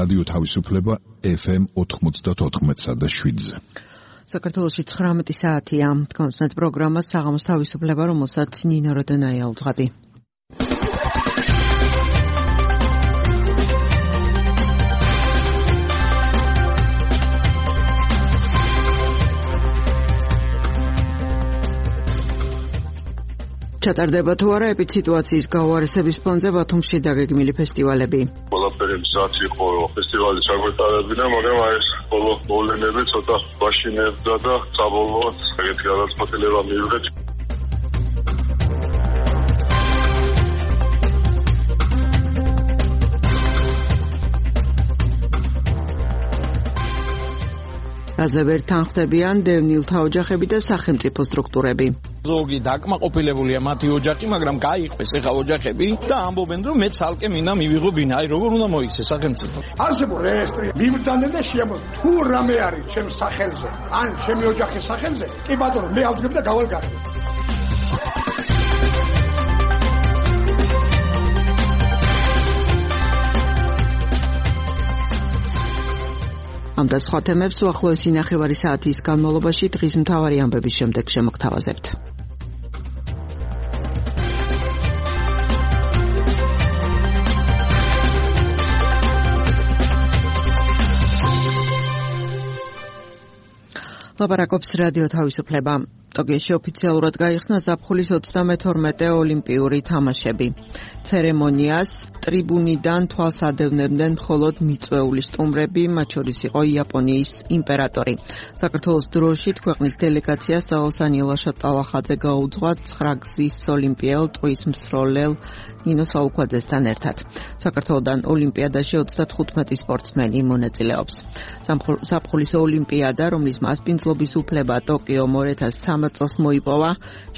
რადიო თავისუფლება FM 94.7-ზე. საქართველოში 19 საათია. კონსმეთ პროგრამა საღამოს თავისუფლება, რომელსაც ნინო როდონაია უძღვები. ჩატარდება თუ არა ეპიდსიტუაციის გაუარესების ფონზე ბათუმში დაგეგმილი ფესტივალები. ყველაფერი მზად იყო ფესტივალი ჩაგვეტარებინა, მაგრამ ეს ბოლო მოვლენები ცოტა ბაშინებდა და საბოლოოდ ეგეთი გადაწყვეტილება მივიღეთ. რაზე ვერ თანხმდებიან დევნილთა ოჯახები და სახელმწიფო სტრუქტურები. ზოგი დაკმაყოფილებულია მათი ოჯახი, მაგრამ გაიყვეს ეხა ოჯახები და ამბობენ, რომ მე ცალკე მინდა მივიღო ბინა, აი როგორ უნდა მოიქცეს სახელმწიფო. არსებულ რეესტრი მიბრძანდნენ და შეამბობენ, თუ რამე არის ჩემს სახელზე, ან ჩემი ოჯახის სახელზე, კი ბატონო, მე ავდგები და გავალგარი. ამ და სხვა თემებს უახლოესი ნახევარი საათის განმავლობაში დღის მთავარი ამბების შემდეგ შემოგთავაზებთ. ლაპარაკობს რადიო თავისუფლება. ტოკიოში ოფიციალურად გაიხსნა ზაფხულის 32 ოლიმპიური თამაშები. ცერემონიას ტრიბუნიდან თვალს ადევნებდნენ მხოლოდ მიწვეული სტუმრები, მათ შორის იყო იაპონიის იმპერატორი. საქართველოს დროშით ქვეყნის დელეგაციას ძალოსანი ლაშატალახაძე გაუძღვა 9 გზის ოლიმპიელ ტყვის მსროლელ ნინო საუქვაძესთან ერთად. საქართველოდან ოლიმპიადაში 35 სპორტსმენი მონაწილეობს. ზაფხულის ოლიმპიადა, რომლის მასპინძლობის უფლება ტოკიო მორეთას 13 წელს მოიპოვა,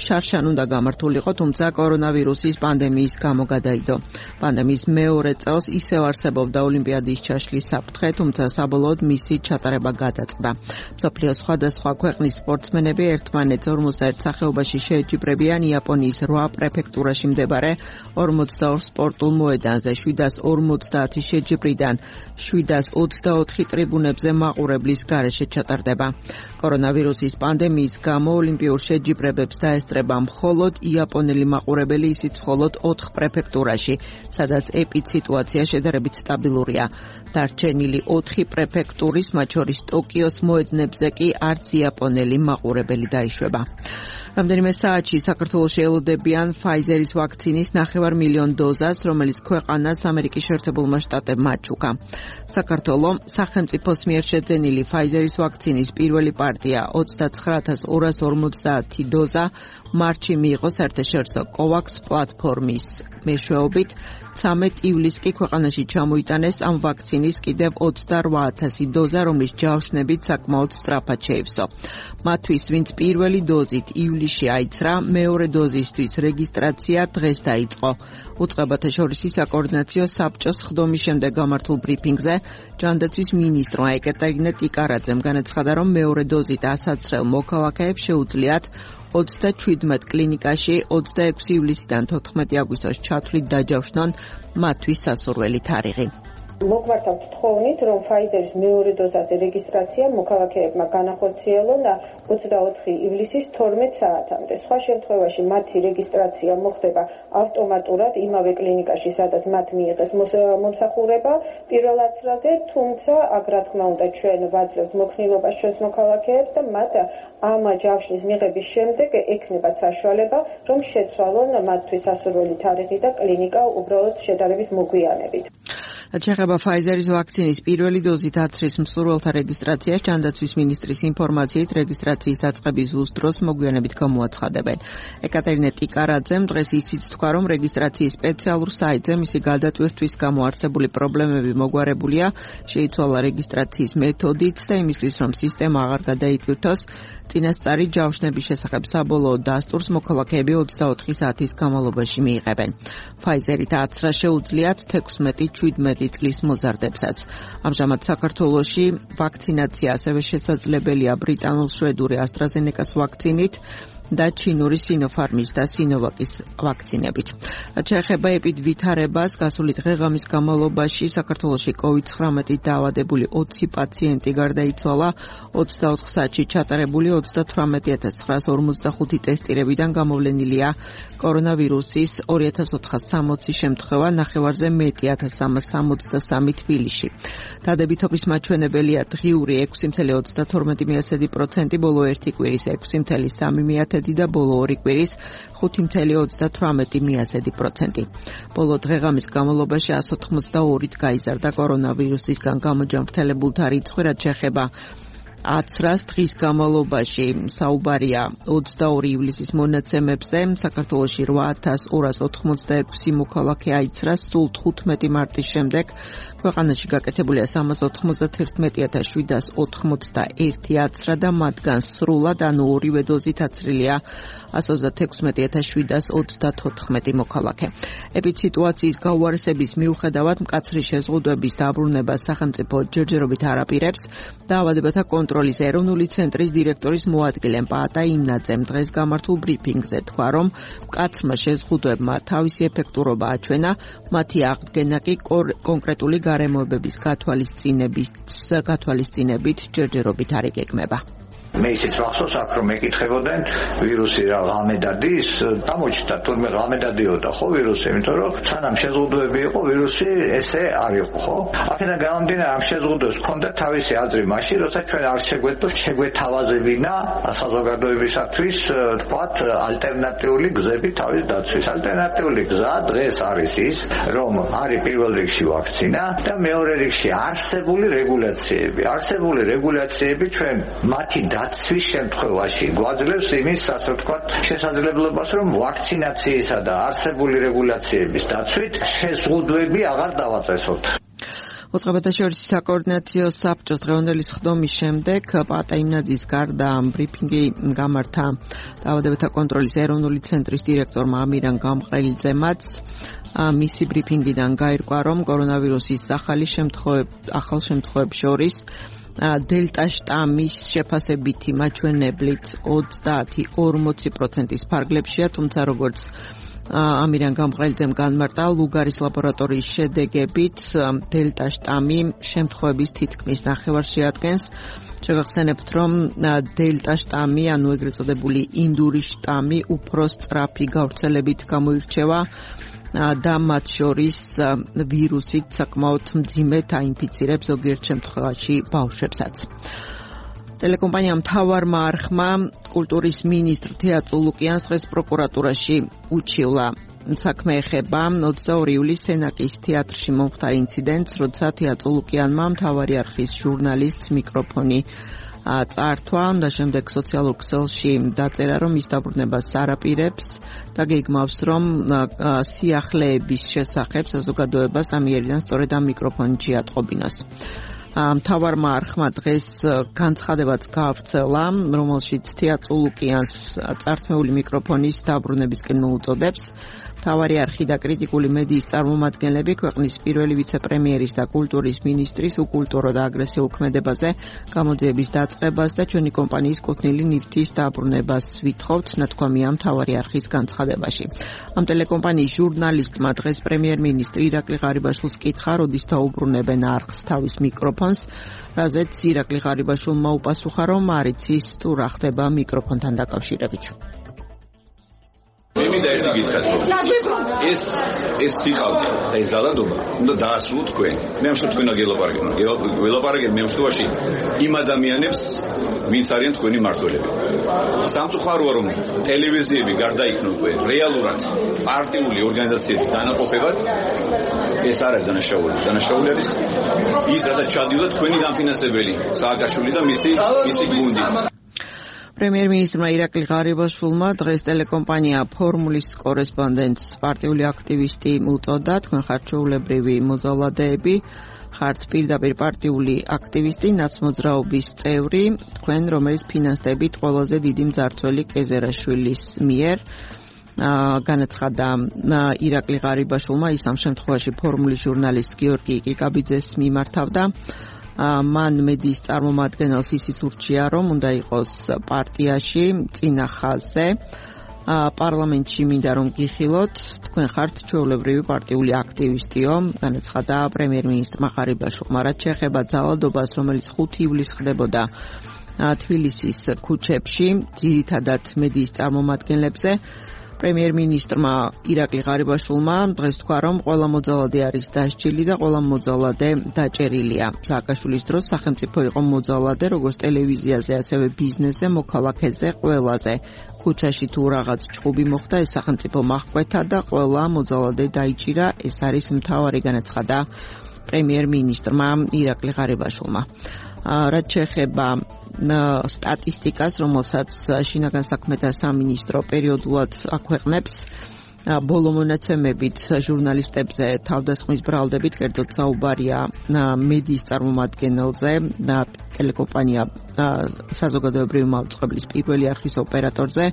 შარშან უნდა გამართულიყო, თუმცა კორონავირუსის პანდემიის გამო გადაიდო. პანდემიის მეორე წელს ისევ არსებობდა ოლიმპიადის ჩაშლის საფრთხე, თუმცა საბოლოოდ მისი ჩატარება გადაწყდა. მსოფლიოს სხვადასხვა ქვეყნის სპორტსმენები ერთმანეთს 41 სახეობაში შეეჯიბრებიან იაპონიის 8 პრეფექტურაში მდებარე 42 სპორტულ მოედანზე. 750 შეჯიბრიდან 724 ტრიბუნებზე მაყურებლის გარეშე ჩატარდება. კორონავირუსის პანდემიის გამო ოლიმპიურ შეჯიბრებებს დაესწრება მხოლოდ იაპონელი მაყურებელი, ისიც მხოლოდ 4 პრეფექტურაში, სადაც ეპიდსიტუაცია შედარებით სტაბილურია. დარჩენილი 4 პრეფექტურის, მათ შორის ტოკიოს მოედნებზე კი არც იაპონელი მაყურებელი დაიშვება. რამდენიმე საათში საქართველოში ელოდებიან Pfizer-ის ვაქცინის 9,5 დოზას, რომელიც ქვეყანას ამერიკის შეერთებულმა შტატებმა აჩუქა. საქართველოს სახელმწიფოს მიერ შეძენილი Pfizer-ის ვაქცინის პირველი პარტია 29,250 დოზა მარტში მიიღო საერთაშორისო COVAX პლატფორმის მეშვეობით. 13 ივლისს კი ქვეყანაში ჩამოიტანეს ამ ვაქცინის კიდევ 28,000 დოზა, რომლის ჯავშნებით საკმაოდ სწრაფად შეივსო. მათთვის, ვინც პირველი დოზით ივლისში აიცრა, მეორე დოზისთვის რეგისტრაცია დღეს დაიწყო. უწყებათა შორისი საკოორდინაციო საბჭოს ხდომის შემდეგ გამართულ ბრიფინგზე ჯანდაცვის მინისტრმა ეკატერინე ტიკარაძემ განაცხადა, რომ მეორე დოზით ასაცრელ მოქალაქეებს შეუძლიათ 37 კლინიკაში 26 ივლისიდან 14 აგვისტოს ჩათვლით დაჯავშნონ მათთვის სასურველი თარიღი. მოგვართავთ თხოვნით, რომ Pfizer-ის მეორე დოზაზე რეგისტრაცია მოქალაქეებმა განახორციელონ 24 ივლისის 12 საათამდე. სხვა შემთხვევაში მათი რეგისტრაცია მოხდება ავტომატურად იმავე კლინიკაში, სადაც მათ მიიღეს მომსახურება პირველ აცრაზე, თუმცა აქ რა თქმა უნდა ჩვენ ვაძლევთ მოქნილობას ჩვენს მოქალაქეებს და მათ ამ ჯავშნის მიღების შემდეგ ექნებათ საშუალება, რომ შეცვალონ მათთვის სასურველი თარიღი და კლინიკა უბრალოდ შედარებით მოგვიანებით. შეეხება Pfizer-ის ვაქცინის პირველი დოზით აცრის მსურველთა რეგისტრაციას, ჯანდაცვის მინისტრის ინფორმაციით რეგისტრაციის დაწყების ზუსტ მოგვიანებით გამოაცხადებენ. ეკატერინე ტიკარაძემ დღეს ისიც თქვა, რომ რეგისტრაციის სპეციალურ საიტზე მისი გადატვირთვის გამო არსებული პრობლემები მოგვარებულია, შეიცვალა რეგისტრაციის მეთოდიც და იმისთვის, რომ სისტემა აღარ გადაიტვირთოს, წინასწარი ჯავშნების შესახებ საბოლოო დასტურს მოქალაქეები 24 საათის განმავლობაში მიიღებენ. Pfizer-ით აცრა შეუძლიათ 16-17 წლის მოზარდებსაც. ამჟამად საქართველოში ვაქცინაცია ასევე შესაძლებელია ბრიტანულ-შვედური AstraZeneca-ს ვაქცინით. და ჩინური Sinopharm-ის და Sinovac-ის ვაქცინებით. შეეხება ვითარებას, გასული დღე-ღამის განმავლობაში საქართველოში COVID-19 დაავადებული 20 პაციენტი გარდაიცვალა, 24 საათში ჩატარებული 38945 ტესტირებიდან გამოვლენილია კორონავირუსის 2460 შემთხვევა, ნახევარზე მეტი 1363 თბილისში. დადებითობის მაჩვენებელია დღიური 6.32%, ბოლო ერთი კვირის 6.3% და ბოლო ორი კვირის 5.38%. ბოლო დღე-ღამის განმავლობაში 182-ით გაიზარდა კორონავირუსისგან გამოჯანმრთელებულთა რიცხვი, რაც შეეხება 10 დღის განმავლობაში საუბარია 22 ივლისის მონაცემებზე. საქართველოში 8286 მოქალაქე აიცრა, სულ 15 მარტის შემდეგ ქვეყანაში გაკეთებულია 311,781 აცრა და მათგან სრულად, ანუ ორივე დოზით აცრილია 136,734 მოქალაქე. ეპიდსიტუაციის გაუარესების მიუხედავად მკაცრი შეზღუდვების დაბრუნება სახელმწიფო ჯერჯერობით არ აპირებს. დაავადებათა კონტროლის ეროვნული ცენტრის დირექტორის მოადგილე პაატა იმნაძემ დღეს გამართულ ბრიფინგზე თქვა, რომ მკაცრმა შეზღუდვებმა თავისი ეფექტურობა აჩვენა, მათი აღდგენა კი კონკრეტული გარემოებების გათვალისწინებით ჯერჯერობით არ იგეგმება. მე ისიც მახსოვს აქ რომ მეკითხებოდნენ ვირუსი რა ღამედადის გამოჩნდა თურმე ღამედადიოდა ხო ვირუსი იმიტომ რომ სანამ შეზღუდვები იყო ვირუსი ესე არ იყო ხო აქედან გამომდინარე ამ შეზღუდვებს ჰქონდა თავისი აზრი მაშინ როცა ჩვენ არ შეგვეთავაზებინა საზოგადოებისათვის თქვათ ალტერნატიული გზები თავის დაცვის ალტერნატიული გზა დღეს არის ის რომ არის პირველ რიგში ვაქცინა და მეორე რიგში არსებული რეგულაციები ჩვენ მათი დაცვის შემთხვევაში გვაძლევს იმის ასე ვთქვათ შესაძლებლობას რომ ვაქცინაციისა და არსებული რეგულაციების დაცვით შეზღუდვები აღარ დავაწესოთ. მოწყობათა შორის საკოორდინაციო საბჭოს დღევანდელი სხდომის შემდეგ პაატა იმნაძის გარდა ბრიფინგი გამართა დაავადებათა კონტროლის ეროვნული ცენტრის დირექტორმა ამირან გამყრელიძემაც. მისი ბრიფინგიდან გაირკვა, რომ კორონავირუსის ახალ შემთხვევებს შორის დელტა შტამის შეფასებითი მაჩვენებლით 30-40%-ის ფარგლებშია, თუმცა როგორც ამირან გამყრელიძემ განმარტა, ლუგარის ლაბორატორიის შედეგებით დელტა შტამი შემთხვევების თითქმის ნახევარს შეადგენს. შეგახსენებთ, რომ დელტა შტამი, ანუ ეგრეთ წოდებული ინდური შტამი, უფრო სწრაფი გავრცელებით გამოირჩევა და მათ შორის ვირუსით საკმაოდ მძიმედ აინფიცირებს ზოგიერთ შემთხვევაში ბავშვებსაც. ტელეკომპანია მთავარმა არხმა კულტურის მინისტრ თეატრო ლუკიანს დღეს პროკურატურაში უჩივლა. საქმე ეხება 22 ივლისს სენაკის თეატრში მომხდარ ინციდენტს, როცა თეატრო ლუკიანმა მთავარი არხის ჟურნალისტს მიკროფონი წართვა და შემდეგ სოციალურ ქსელში დაწერა, რომ ის დაბრუნებას არ აპირებს და გეგმავს, რომ სიახლეების შესახებ საზოგადოებას ამიერიდან სწორედ ამ მიკროფონი შეატყობინოს. მთავარმა არხმა დღეს განცხადებაც გაავრცელა, რომელშიც თეატრო ლუკიანს წართმეული მიკროფონის დაბრუნებისკენ მოუწოდებს. მთავარი არხი და კრიტიკული მედიის წარმომადგენლები ქვეყნის პირველი ვიცე-პრემიერის და კულტურის მინისტრის უკულტურო და აგრესიულ ქმედებაზე გამოძიების დაწყებას და ჩვენი კომპანიის კუთვნილი ნივთის დაბრუნებას ვითხოვთ, ნათქვამია მთავარი არხის განცხადებაში. ამ ტელეკომპანიის ჟურნალისტმა დღეს პრემიერ-მინისტრი ირაკლი ღარიბაშვილს კითხა, როდის დაუბრუნებენ არხს თავის მიკროფონს, რაზეც ირაკლი ღარიბაშვილმა უპასუხა, რომ არ იცის თუ რა ხდება მიკროფონთან დაკავშირებით. მე და ერთი გითხრათ, ეს სიყალბე და ეს ზალადობა უნდა დაასრულოთ თქვენ. მე ამ შემთხვევაში გელაპარაკეთ მე შემთხვევაში იმ ადამიანებს, ვინც არიან თქვენი მმართველები. სამწუხაროა, რომ ტელევიზიები გარდაიქმნებენ რეალურად პარტიული ორგანიზაციების დანაყოფებად. ეს არ არის დანაშაული. დანაშაული არის ის, რასაც ჩადიოდა თქვენი დამფინანსებელი სააკაშვილი და მისი გუნდი. პრემიერ-მინისტრმა ირაკლი ღარიბაშვილმა დღეს ტელეკომპანია ფორმულის კორესპონდენტს პარტიული აქტივისტი უწოდა. თქვენ ხართ ჩვეულებრივი მოძალადეები, ხართ პირდაპირ პარტიული აქტივისტი, ნაცმოძრაობის წევრი, თქვენ რომელიც ფინანსდებით ყველაზე დიდი მძარცველი კეზერაშვილის მიერ. განაცხადა ირაკლი ღარიბაშვილმა, ის ამ შემთხვევაში ფორმულის ჟურნალისტ გიორგი კიკაბიძეს მიმართავდა. მან მედიის წარმომადგენელს ისიც ურჩია, რომ უნდა იყოს პარტიაში წინა ხაზზე. პარლამენტში მინდა რომ გიხილოთ, თქვენ ხართ ჩვეულებრივი პარტიული აქტივისტიო, განაცხადა პრემიერ-მინისტრმა ღარიბაშვილმა. რაც შეეხება ძალადობას, რომელიც 5 ივლისს ხდებოდა თბილისის ქუჩებში, ძირითადად მედიის წარმომადგენლებზე, პრემიერ-მინისტრმა ირაკლი ღარიბაშვილმა დღეს თქვა, რომ ყველა მოძალადე არის დასჯილი და ყველა მოძალადე დაჭერილია. სააკაშვილის დროს სახელმწიფო იყო მოძალადე, როგორც ტელევიზიაზე, ასევე ბიზნესზე, მოქალაქეზე, ყველაზე. ქუჩაში თუ რაღაც ჭუბი მოხდა, ეს სახელმწიფო მაჰკვეთა და ყველა მოძალადე დაიჭირა. ეს არის მთავარი განაცხადა პრემიერ-მინისტრმა ირაკლი ღარიბაშვილმა. რაც შეეხება სტატისტიკას, რომელსაც შინაგან საქმეთა სამინისტრო პერიოდულად აქვეყნებს, ბოლო მონაცემებით ჟურნალისტებზე თავდასხმის ბრალდებით, კერძოდ საუბარია მედიის წარმომადგენელზე, ტელეკომპანია საზოგადოებრივი მაუწყებლის პირველი არხის ოპერატორზე,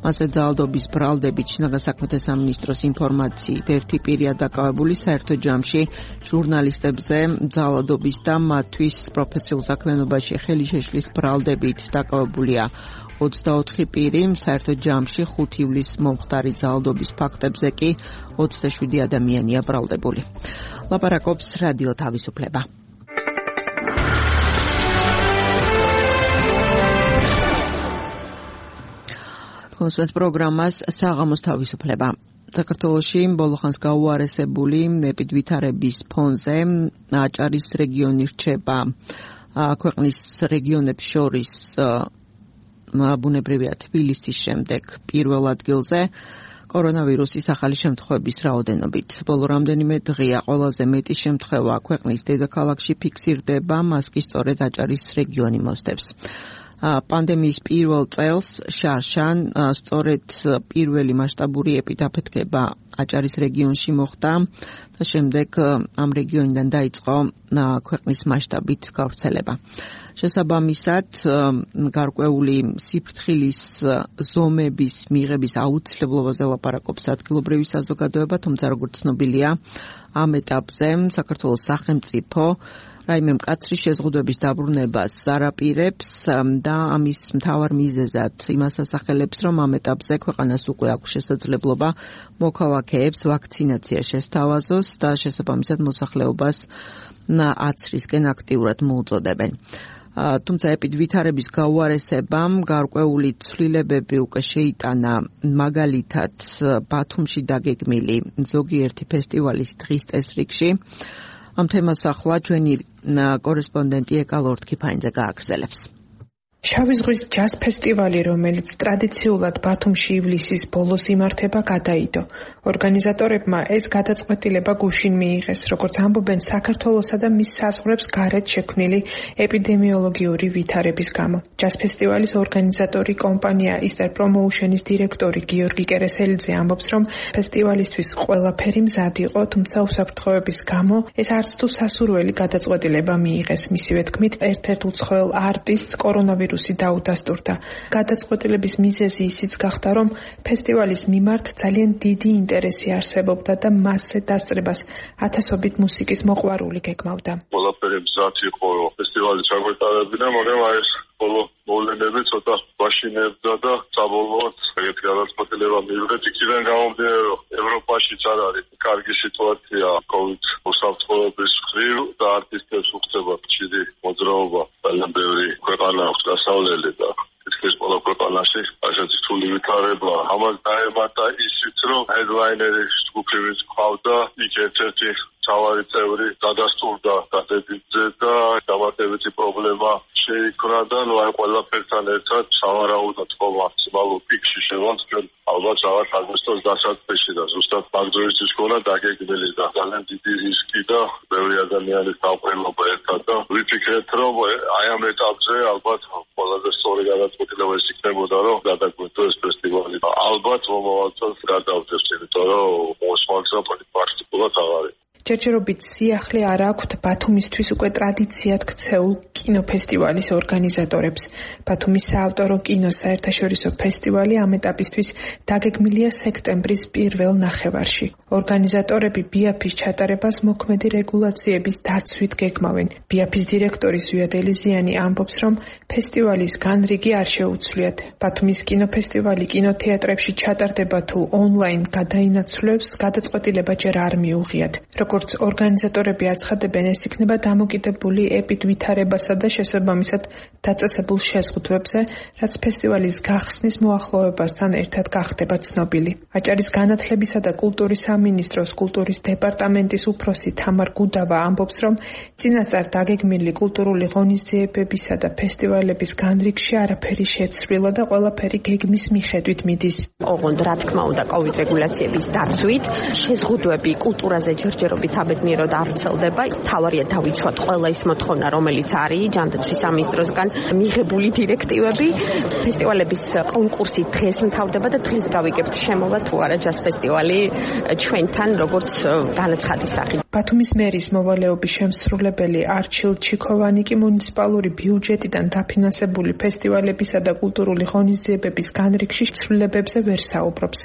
მასე ძალადობის ბრალდებით შინაგან საქმეთა სამინისტროს ინფორმაციით ერთი პირია დაკავებული საერთო ჯამში ჟურნალისტებზე ძალადობის და მათთვის პროფესიულ საქმიანობაში ხელი შეშლის ბრალდებით დაკავებულია 24 პირი, საერთო ჯამში 5 ივლისს მომხდარი ძალადობის ფაქტებზე კი 27 ადამიანია ბრალდებული. ლაპარაკობს რადიო თავისუფლება. კონსვენს პროგრამას საღამოს თავისუფლება. საქართველოში ბოლო ხანს გაუარესებული ეპიდვითარების ფონზე აჭარის რეგიონი რჩება ქვეყნის რეგიონებს შორის ბუნებრივია თბილისის შემდეგ პირველ ადგილზე კორონავირუსის ახალი შემთხვევების რაოდენობით. ბოლო რამდენიმე დღეა ყველაზე მეტი შემთხვევა ქვეყნის დედაქალაქში ფიქსირდება, მას კი სწორედ აჭარის რეგიონი მოსდევს. პანდემიის პირველ წელს შარშან სწორედ პირველი მასშტაბური ეპიდაფეთქება აჭარის რეგიონში მოხდა და შემდეგ ამ რეგიონიდან დაიწყო ქვეყნის მასშტაბით გავრცელება. შესაბამისად, გარკვეული სიფრთხილის ზომების მიღების აუცილებლობაზე ლაპარაკობს ადგილობრივი საზოგადოება, თუმცა როგორც ცნობილია, ამ ეტაპზე საქართველოს სახელმწიფო რაიმე მკაცრი შეზღუდვების დაბრუნებას არაპირებს და ამის მთავარ მიზეზად იმას ასახელებს, რომ ამ ეტაპზე ქვეყანას უკვე აქვს შესაძლებლობა მოქალაქეებს ვაქცინაცია შესთავაზოს და შესაბამისად მოსახლეობას აცრისკენ აქტიურად მოუწოდებენ. თუმცა ეპიდვითარების გაუარესებამ გარკვეული ცვლილებები უკვე შეიტანა, მაგალითად ბათუმში დაგეგმილი ზოგიერთი ფესტივალის დღის წესრიგში. ამ თემას ახლა ჩვენი კორესპონდენტი ეკა ლორდ-ქიფაინძე გააგრძელებს. შავი ზღვის ჯაზ ფესტივალი, რომელიც ტრადიციულად ბათუმში ივლისის ბოლოს იმართება, გადაიდო. ორგანიზატორებმა ეს გადაწყვეტილება გუშინ მიიღეს, როგორც ამბობენ საქართველოსა და მის საზღვრებს გარეთ შექმნილი ეპიდემიოლოგიური ვითარების გამო. ჯაზ ფესტივალის ორგანიზატორი კომპანია Easter Promotion-ის დირექტორი გიორგი კერესელიძე ამბობს, რომ ფესტივალისთვის ყველაფერი მზად იყო, თუმცა უსაფრთხოების გამო ეს არც თუ სასურველი გადაწყვეტილება მიიღეს. მისივე თქმით, ერთ-ერთ უცხოელ არტისტს კორონავირუსი დაუდასტურდა. გადაწყვეტილების მიზეზი ისიც გახდა, რომ ფესტივალის მიმართ ძალიან დიდი ინტერესი არსებობდა და მასზე დასწრებას ათასობით მუსიკის მოყვარული გეგმავდა. ყველაფერი მზად იყო ფესტივალის ჩაგვეტარებინა, მაგრამ ეს ბოლო მოვლენები ცოტა ვაშინებდა და საბოლოოდ ეგეთი გადაწყვეტილება მიიღეთ. იქიდან გამომდინარე, რომ ევროპაშიც არ არის კარგი სიტუაცია COVID უსაფრთხოების მხრივ და არტისტებს უხდება ხშირი მოძრაობა. ძალიან ბევრი ქვეყანა აქვს დასავლელი და თითქმის ყველა ქვეყანაში ასეთი რთული ვითარება. ამას დაემატა ისიც, რომ ჰედლაინერი ჯგუფი ვინც ყავდა, იქ ერთ-ერთი მთავარი წევრი გადასტურდა დადებითზე და დამატებითი პრობლემა შეიქმნა და აი ყველაფერთან ერთად სავარაუდოდ ხო მაქსიმალურ პიკში შევანცვლენ ალბათ რაღაც აგვისტოს დასაწყისში და ზუსტად მაგდროისთვის ქონა დაგეგმილი და ძალიან დიდი რისკი და ბევრი ადამიანის დაყრდნობა ერთად და ვიფიქრეთ, რომ აი ამ ეტაპზე ალბათ ყველაზე სწორი გადაწყვეტილება ის იქნებოდა, რომ გადაგვეთო ეს ფესტივალი. ალბათ მომავალ წელს გადავდებთ, იმიტომ რომ მოსმაგზა პრაქტიკულად აღარ არის. ჯერჯერობით სიახლე არ აქვთ ბათუმისთვის უკვე ტრადიციად ქცეულ კინოფესტივალის ორგანიზატორებს. ბათუმის საავტორო კინო საერთაშორისო ფესტივალი ამ ეტაპისთვის დაგეგმილია სექტემბრის პირველ ნახევარში. ორგანიზატორები ბიაფის ჩატარებას მოქმედი რეგულაციების დაცვით გეგმავენ. ბიაფის დირექტორი ზვიად ელიზიანი ამბობს, რომ ფესტივალის განრიგი არ შეუცვლიათ. ბათუმის კინოფესტივალი კინოთეატრებში ჩატარდება თუ ონლაინ გადაინაცვლებს, გადაწყვეტილება ჯერ არ მიუღიათ. როგორც ორგანიზატორები აცხადებენ, ეს იქნება დამოკიდებული ეპიდ ვითარებასა და შესაბამისად დაწესებულ შეზღუდვებზე, რაც ფესტივალის გახსნის მოახლოებასთან ერთად გახდება ცნობილი. აჭარის განათლებისა და კულტურის სამინისტროს კულტურის დეპარტამენტის უფროსი თამარ გუდავა ამბობს, რომ წინასწარ დაგეგმილი კულტურული ღონისძიებებისა და ფესტივალების განრიგში არაფერი შეცვლილა და ყველაფერი გეგმის მიხედვით მიდის. ოღონდ რა თქმა უნდა კოვიდ რეგულაციების დაცვით შეზღუდვები კულტურაზე ჯერჯერობით საბედნიეროდ არ ვრცელდება. თავარია დავიცვათ ყველა ის მოთხოვნა, რომელიც არის ჯანდაცვის სამინისტროსგან მიღებული დირექტივები. ფესტივალების კონკურსი დღეს მთავრდება და დღეს გავიგებთ შემოვა თუ არა ჯაზ ფესტივალი ჩვენთან როგორც განაცხადის სახით. ბათუმის მერის მოვალეობის შემსრულებელი არჩილ ჩიქოვანი კი მუნიციპალური ბიუჯეტიდან დაფინანსებული ფესტივალებისა და კულტურული ღონისძიებების განრიგში ცვლილებებზე ვერ საუბრობს.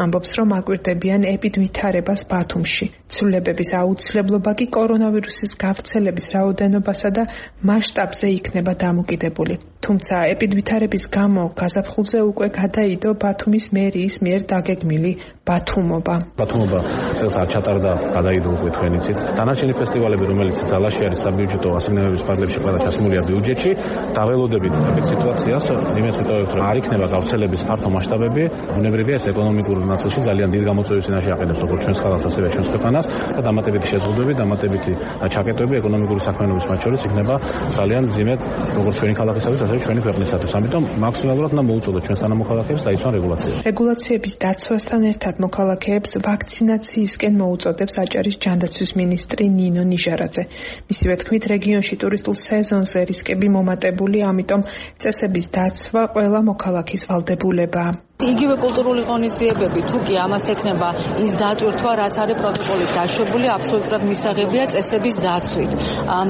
ამბობს, რომ აკვირდებიან ეპიდვითარებას ბათუმში. ცვლილებების აუცილებლობა კი კორონავირუსის გავრცელების რაოდენობასა და მასშტაბზე იქნება დამოკიდებული. თუმცა ეპიდვითარების გამო გაზაფხულზე უკვე გადაიდო ბათუმის მერიის მიერ დაგეგმილი ბათუმობა. ბათუმობა წელს არ ჩატარდა, გადაიდო უკვე თქვენ იცით. დანარჩენი ფესტივალები, რომელიც ძალაში არის საბიუჯეტო ასიგნებების ფარგლებში ყველა ჩასმულია ბიუჯეტში, დაველოდებით ეს სიტუაციას იმედს ვიტოვებთ, რომ არ იქნება გავრცელების ფართო მასშტაბები. ბუნებრივია ეს ეკონომიკურ ნაწილში ძალიან დიდ გამოწვევის წინაშე აყენებს როგორც ჩვენს ხალხს, ასევე ჩვენს ქვეყანას და დამატებითი შეზღუდვები, დამატებითი ჩაკეტვები ეკონომიკური საქმიანობის მათ შორის იქნება ძალიან მძიმე როგორც ჩვენი ქალაქისათვის, ასევე ჩვენი ქვეყნისათვის. ამიტომ მაქსიმალურად უნდა მოუწოდოთ ჩვენს თანამოქალაქეებს დაიცვან რეგულაციები. რეგულაციების დაცვასთან ერთად მოქალაქეებს ვაქცინაციისკენ მოუწოდებს აჭარის ჯანდაცვის მინისტრი ნინო ნიჟარაძე. მისივე თქმით, რეგიონში ტურისტულ სეზონზე რისკები მომატებული, ამიტომ წესების დაცვა ყველა მოქალაქის ვალდებულებაა. იგივე კულტურული ღონისძიებები თუ კი ამას ექნება ის დატვირთვა, რაც არის პროტოკოლით დაშვებული, აბსოლუტურად მისაღებია წესების დაცვით.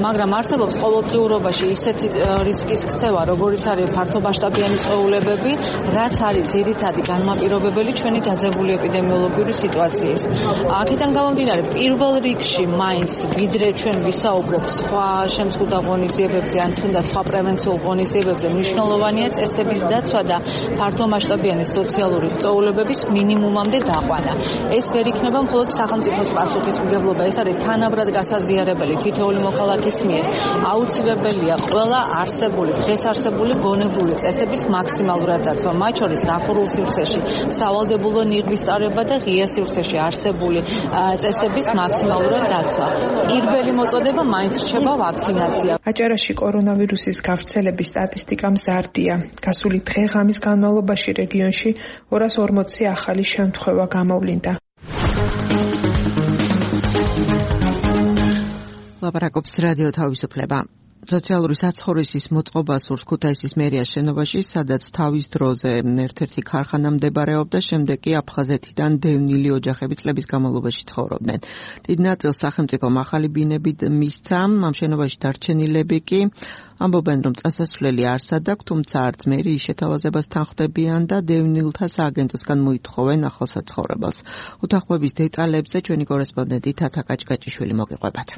მაგრამ არსებობს ყოველდღიურობაში ისეთი რისკის ქცევა, როგორიც არის ფართომასშტაბიანი წვეულებები, რაც არის ძირითადი განმაპირობებელი ჩვენი დაძაბული ეპიდემიოლოგიური სიტუაციის. აქედან გამომდინარე, პირველ რიგში მაინც ვიდრე ჩვენ ვისაუბრებთ სხვა შემზღუდვა ღონისძიებებზე ან თუნდაც სხვა პრევენციულ ღონისძიებებზე, მნიშვნელოვანია წესების დაცვა და ფართომასშტაბიანი სოციალური წვეულებების მინიმუმამდე დაყვანა. ეს ვერ იქნება მხოლოდ სახელმწიფოს პასუხისმგებლობა, ეს არის თანაბრად გასაზიარებელი თითოეული მოქალაქის მიერ. აუცილებელია ყველა არსებული, დღეს არსებული გონებრივი წესების მაქსიმალურად დაცვა, მათ შორის დახურულ სივრცეში სავალდებულო ნიღბის ტარება და ღია სივრცეში არსებული წესების მაქსიმალურად დაცვა. პირველი მოწოდება მაინც რჩება ვაქცინაცია. აჭარაში კორონავირუსის გავრცელების სტატისტიკა მზარდია. გასული დღე-ღამის განმავლობაში რეგიონში 240 ახალი შემთხვევა გამოვლინდა. ლაპარაკობს რადიო თავისუფლება. სოციალური საცხოვრისის მოწყობა სურს ქუთაისის მერიის შენობაში, სადაც თავის დროზე ერთ-ერთი ქარხანა მდებარეობდა, შემდეგ კი აფხაზეთიდან დევნილი ოჯახები წლების განმავლობაში ცხოვრობდნენ. დიდ ნაწილს სახელმწიფომ ახალი ბინები მისცა, ამ შენობაში დარჩენილები კი ამბობენ, რომ წასასვლელი არსად აქვს, თუმცა არც მერიის შეთავაზებას თანხმდებიან და დევნილთა სააგენტოსგან მოითხოვენ ახალ საცხოვრებელს. უთანხმოების დეტალებზე ჩვენი კორესპონდენტი თათა კაჭკაჭიშვილი მოგიყვებათ.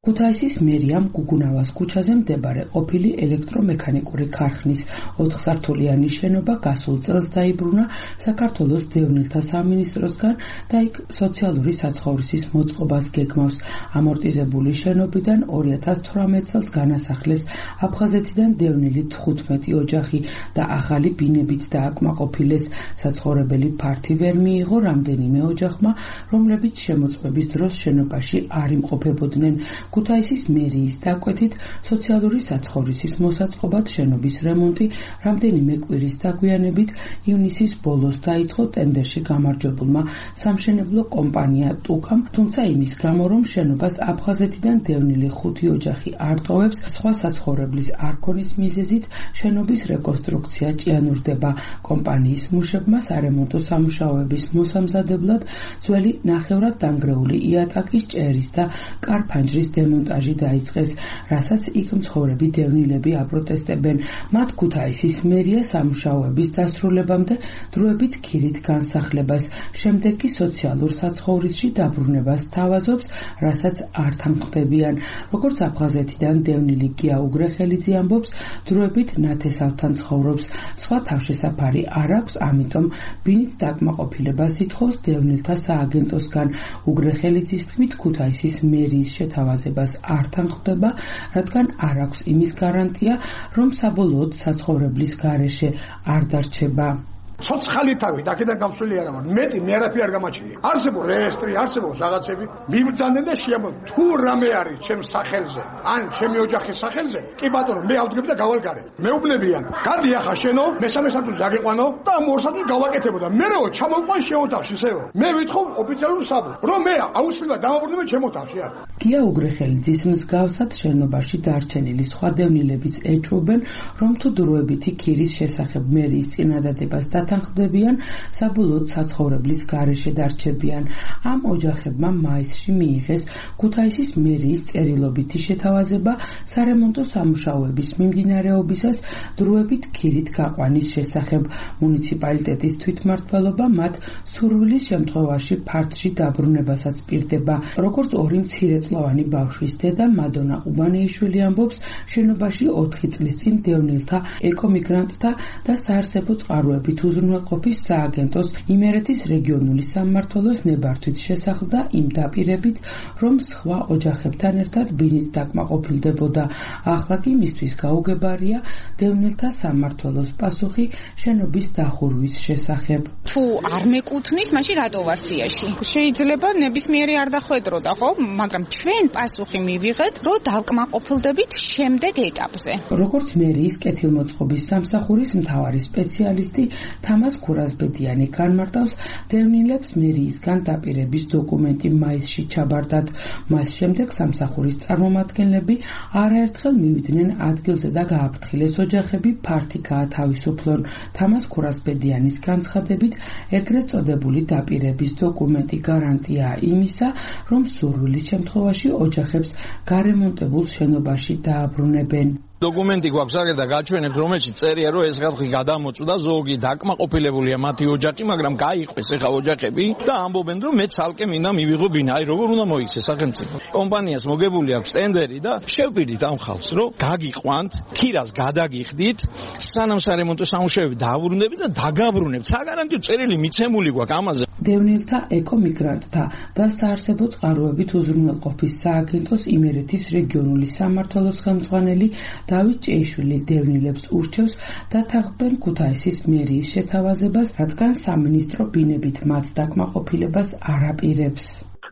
ქუთაისის მერიამ გუგუნავას ქუჩაზე მდებარე ყოფილი ელექტრომექანიკური ქარხნის 4-სართულიანი შენობა გასულ წელს დაიბრუნა საქართველოს დევნილთა სამინისტროსგან და იქ სოციალური საცხოვრისის მოწყობას გეგმავს. ამორტიზებული შენობიდან 2018 წელს განასახლეს აფხაზეთიდან დევნილი 15 ოჯახი და ახალი ბინებით დააკმაყოფილეს. საცხოვრებელი ფართი ვერ მიიღო რამდენიმე ოჯახმა, რომლებიც შემოწმების დროს შენობაში არ იმყოფებოდნენ. ქუთაისის მერიის დაკვეთით სოციალური საცხოვრისის მოსაწყობად შენობის რემონტი რამდენიმე კვირის დაგვიანებით ივნისის ბოლოს დაიწყო ტენდერში გამარჯვებულმა სამშენებლო კომპანია ტუკამ, თუმცა იმის გამო რომ შენობას აფხაზეთიდან დევნილი 5 ოჯახი არ ტოვებს, სხვა საცხოვრებლის არ ქონის მიზეზით შენობის რეკონსტრუქცია ჭიანურდება. კომპანიის მუშებმა სარემონტო სამუშაოების მოსამზადებლად ძველი ნახევრად დანგრეული იატაკის ჭერის და კარფანჯრის დემონტაჟი დაიწყეს, რასაც იქ მცხოვრები დევნილები აპროტესტებენ. მათ ქუთაისის მერია სამუშაოების დასრულებამდე დროებით ქირით განსახლებას, შემდეგ კი სოციალურ საცხოვრისში დაბრუნებას თავაზობს, რასაც არ თანხმდებიან. როგორც აფხაზეთიდან დევნილი გია უგრეხელიძე ამბობს, დროებით ნათესავთან ცხოვრობს, სხვა თავშესაფარი არ აქვს, ამიტომ ბინით დაკმაყოფილებას ითხოვს დევნილთა სააგენტოსგან. უგრეხელიძის თქმით, ქუთაისის მერიის შეთავაზებას არ თანხმდება, რადგან არ აქვს იმის გარანტია, რომ საბოლოოდ საცხოვრებლის გარეშე არ დარჩება. ცოცხალი თავი აქედან გამსვლელი არ ამარ. მეტი მე არაფერი არ გამაჩნია. არსებობს რეესტრი, არსებობს რაღაცები. მიბრძანდნენ და შეამბობ, თუ რამე არის ჩემს სახელზე, ან ჩემი ოჯახის სახელზე, კი ბატონო, მე ავდგები და გავალგარე. მეუბნებიან, გადი ახლა შენო, მესამე სართულზე აგეყვანო და ამ ორ სართულს გავაკეთებოდა. მერეო ჩამოყვან შეოთახში, ისევ. მე ვითხოვ ოფიციალურ საბუთს, რომ მე აუცილებლად დამაბრუნებ ჩემ ოთახში. გია უგრეხელიძის მსგავსად შენობაში დარჩენილი სხვა დევნილებიც ეჭვობენ, რომ თუ დროებითი ქირის შესახებ მერიის წინადადებას თანხმდებიან, საბოლოოდ საცხოვრებლის გარეშე დარჩებიან. ამ ოჯახებმა მაისში მიიღეს ქუთაისის მერიის წერილობითი შეთავაზება სარემონტო სამუშაოების მიმდინარეობისას დროებით ქირით გაყვანის შესახებ. მუნიციპალიტეტის თვითმმართველობა მათ სურვილის შემთხვევაში ფართში დაბრუნებასაც პირდება. როგორც ორი მცირეწლოვანი ბავშვის დედა მადონა ყუბანეიშვილი ამბობს, შენობაში 4 წლის წინ დევნილთა, ეკომიგრანტთა და საარსებო წყაროებით უზრუნველყოფის სააგენტოს იმერეთის რეგიონული სამმართველოს ნებართვით შესახლდა იმ დაპირებით, რომ სხვა ოჯახებთან ერთად ბინით დაკმაყოფილდებოდა. ახლა კი მისთვის გაუგებარია დევნილთა სამმართველოს პასუხი შენობის დახურვის შესახებ. თუ არ მეკუთვნის, მაშინ რატო ვარ სიაში? შეიძლება ნებისმიერი არ დახვედროდა, ხო? მაგრამ ჩვენ პასუხი მივიღეთ, რომ დავკმაყოფილდებით შემდეგ ეტაპზე. როგორც მერიის კეთილმოწყობის სამსახურის მთავარი სპეციალისტი თამას ქურაზბედიანი განმარტავს, დევნილებს მერიისგან დაპირების დოკუმენტი მაისში ჩაბარდათ. მას შემდეგ სამსახურის წარმომადგენლები არაერთხელ მივიდნენ ადგილზე და გააფრთხილეს ოჯახები ფართი გაათავისუფლონ. თამას ქურაზბედიანის განცხადებით, ეგრეთ წოდებული დაპირების დოკუმენტი გარანტია იმისა, რომ სურვილის შემთხვევაში ოჯახებს გარემონტებულ შენობაში დააბრუნებენ. დოკუმენტი გვაქვს აგერ და გაჩვენებთ, რომელშიც წერია, რომ ეს ხალხი გადამოწვდა, ზოგი დაკმაყოფილებულია მათი ოჯახი, მაგრამ გაიყვეს ეხა ოჯახები და ამბობენ, რომ მე ცალკე მინდა მივიღო ბინა. აი როგორ უნდა მოიქცეს სახელმწიფო. კომპანიას მოგებული აქვს ტენდერი და შევპირდით ამ ხალხს, რომ გაგიყვანთ, ქირას გადაგიხდით, სანამ სარემონტო სამუშაოები დააბრუნდებით და დაგაბრუნებთ. საგარანტიო წერილი მიცემული გვაქვს ამაზე. დევნილთა, ეკომიგრანტთა და საარსებო წყაროებით უზრუნველყოფის სააგენტოს იმერეთის რეგიონული სამმართველოს ხელმძღვანელი დავით ჭეიშვილი დევნილებს ურჩევს დათანხმდნენ ქუთაისის მერიის შეთავაზებას, რადგან სამინისტრო ბინებით მათ დაკმაყოფილებას არ აპირებს.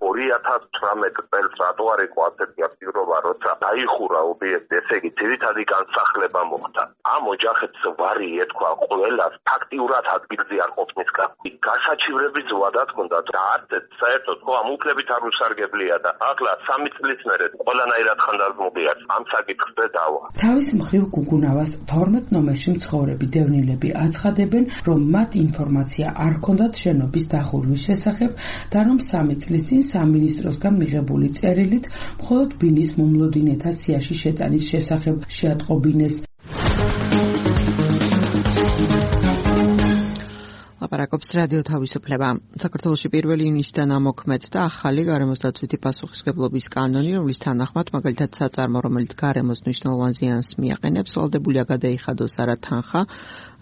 2018 წელს რატო არ იყო ასეთი აქტიურობა, როცა დაიხურა ობიექტი, ესე იგი ძირითადი განსახლება მოხდა. ამ ოჯახებს ვარი ეთქვა ყველას ფაქტიურად ადგილზე არ ყოფნის გასაჩივრების ვადაც ჰქონდა და არც საერთოდ ხო ამ უფლებით არ უსარგებლია და ახლა 3 წლის მერე ყველანაირად ხანდაზმობიათ ამ საკითხზე დავა. თავის მხრივ გუგუნავას 12 ნომერში მცხოვრები დევნილები აცხადებენ, რომ მათ ინფორმაცია არ ჰქონდათ შენობის დახურვის შესახებ და რომ 3 წლის წინ სამინისტროსგან მიღებული წერილით მხოლოდ ბინის მომლოდინეთა სიაში შეტანის შესახებ შეატყობინეს. ლაპარაკობს რადიო თავისუფლება. საქართველოში 1 ივნისიდან ამოქმედდა ახალი გარემოსდაცვითი პასუხისმგებლობის კანონი, რომლის თანახმად მაგალითად საწარმო, რომელიც გარემოს მნიშვნელოვან ზიანს მიაყენებს, ვალდებულია გადაიხადოს არა თანხა,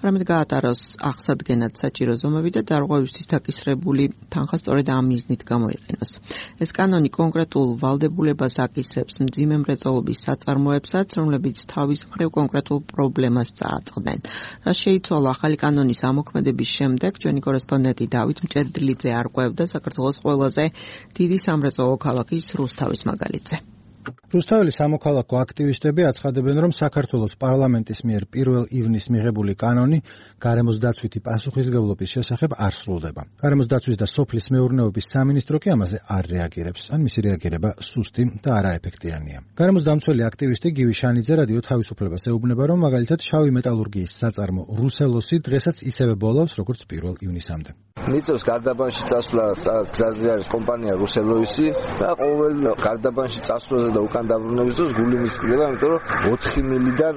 არამედ გაატაროს აღსადგენად საჭირო ზომები და დარღვევისთვის დაკისრებული თანხა სწორედ ამ მიზნით გამოიყენოს. ეს კანონი კონკრეტულ ვალდებულებას აკისრებს მძიმე მრეწველობის საწარმოებსაც, რომლებიც თავის მხრივ კონკრეტულ პრობლემას წააწყდნენ. რაც შეიცვალა ახალი კანონის ამოქმედების შემდეგ, ჩვენი კორესპონდენტი დავით მჭედლიძე არკვევდა საქართველოს ყველაზე დიდი სამრეწველო ქალაქის რუსთავის მაგალითზე. რუსთაველის სამოქალაქო აქტივისტები აცხადებენ, რომ საქართველოს პარლამენტის მიერ 1 ივნისს მიღებული კანონი გარემოს დაცვითი პასუხისმგებლობის შესახებ არ სრულდება. გარემოს დაცვის და სოფლის მეურნეობის სამინისტრო კი ამაზე არ რეაგირებს, ან მისი რეაგირება სუსტი და არაეფექტიანია. გარემოს დამცველი აქტივისტი გივი შანიძე რადიო თავისუფლებას ეუბნება, რომ მაგალითად შავი მეტალურგიის საწარმო რუსელოსი დღესაც ისევე ბოლავს, როგორც 1 ივნისამდე. მიწევს გარდაბანში წასვლა, გზაზე არის კომპანია რუსელოსი და ყოველ გარდაბანში წასვლაზე და უკან დაბრუნების დროს გული მისკდება, იმიტომ რომ 4 მილიდან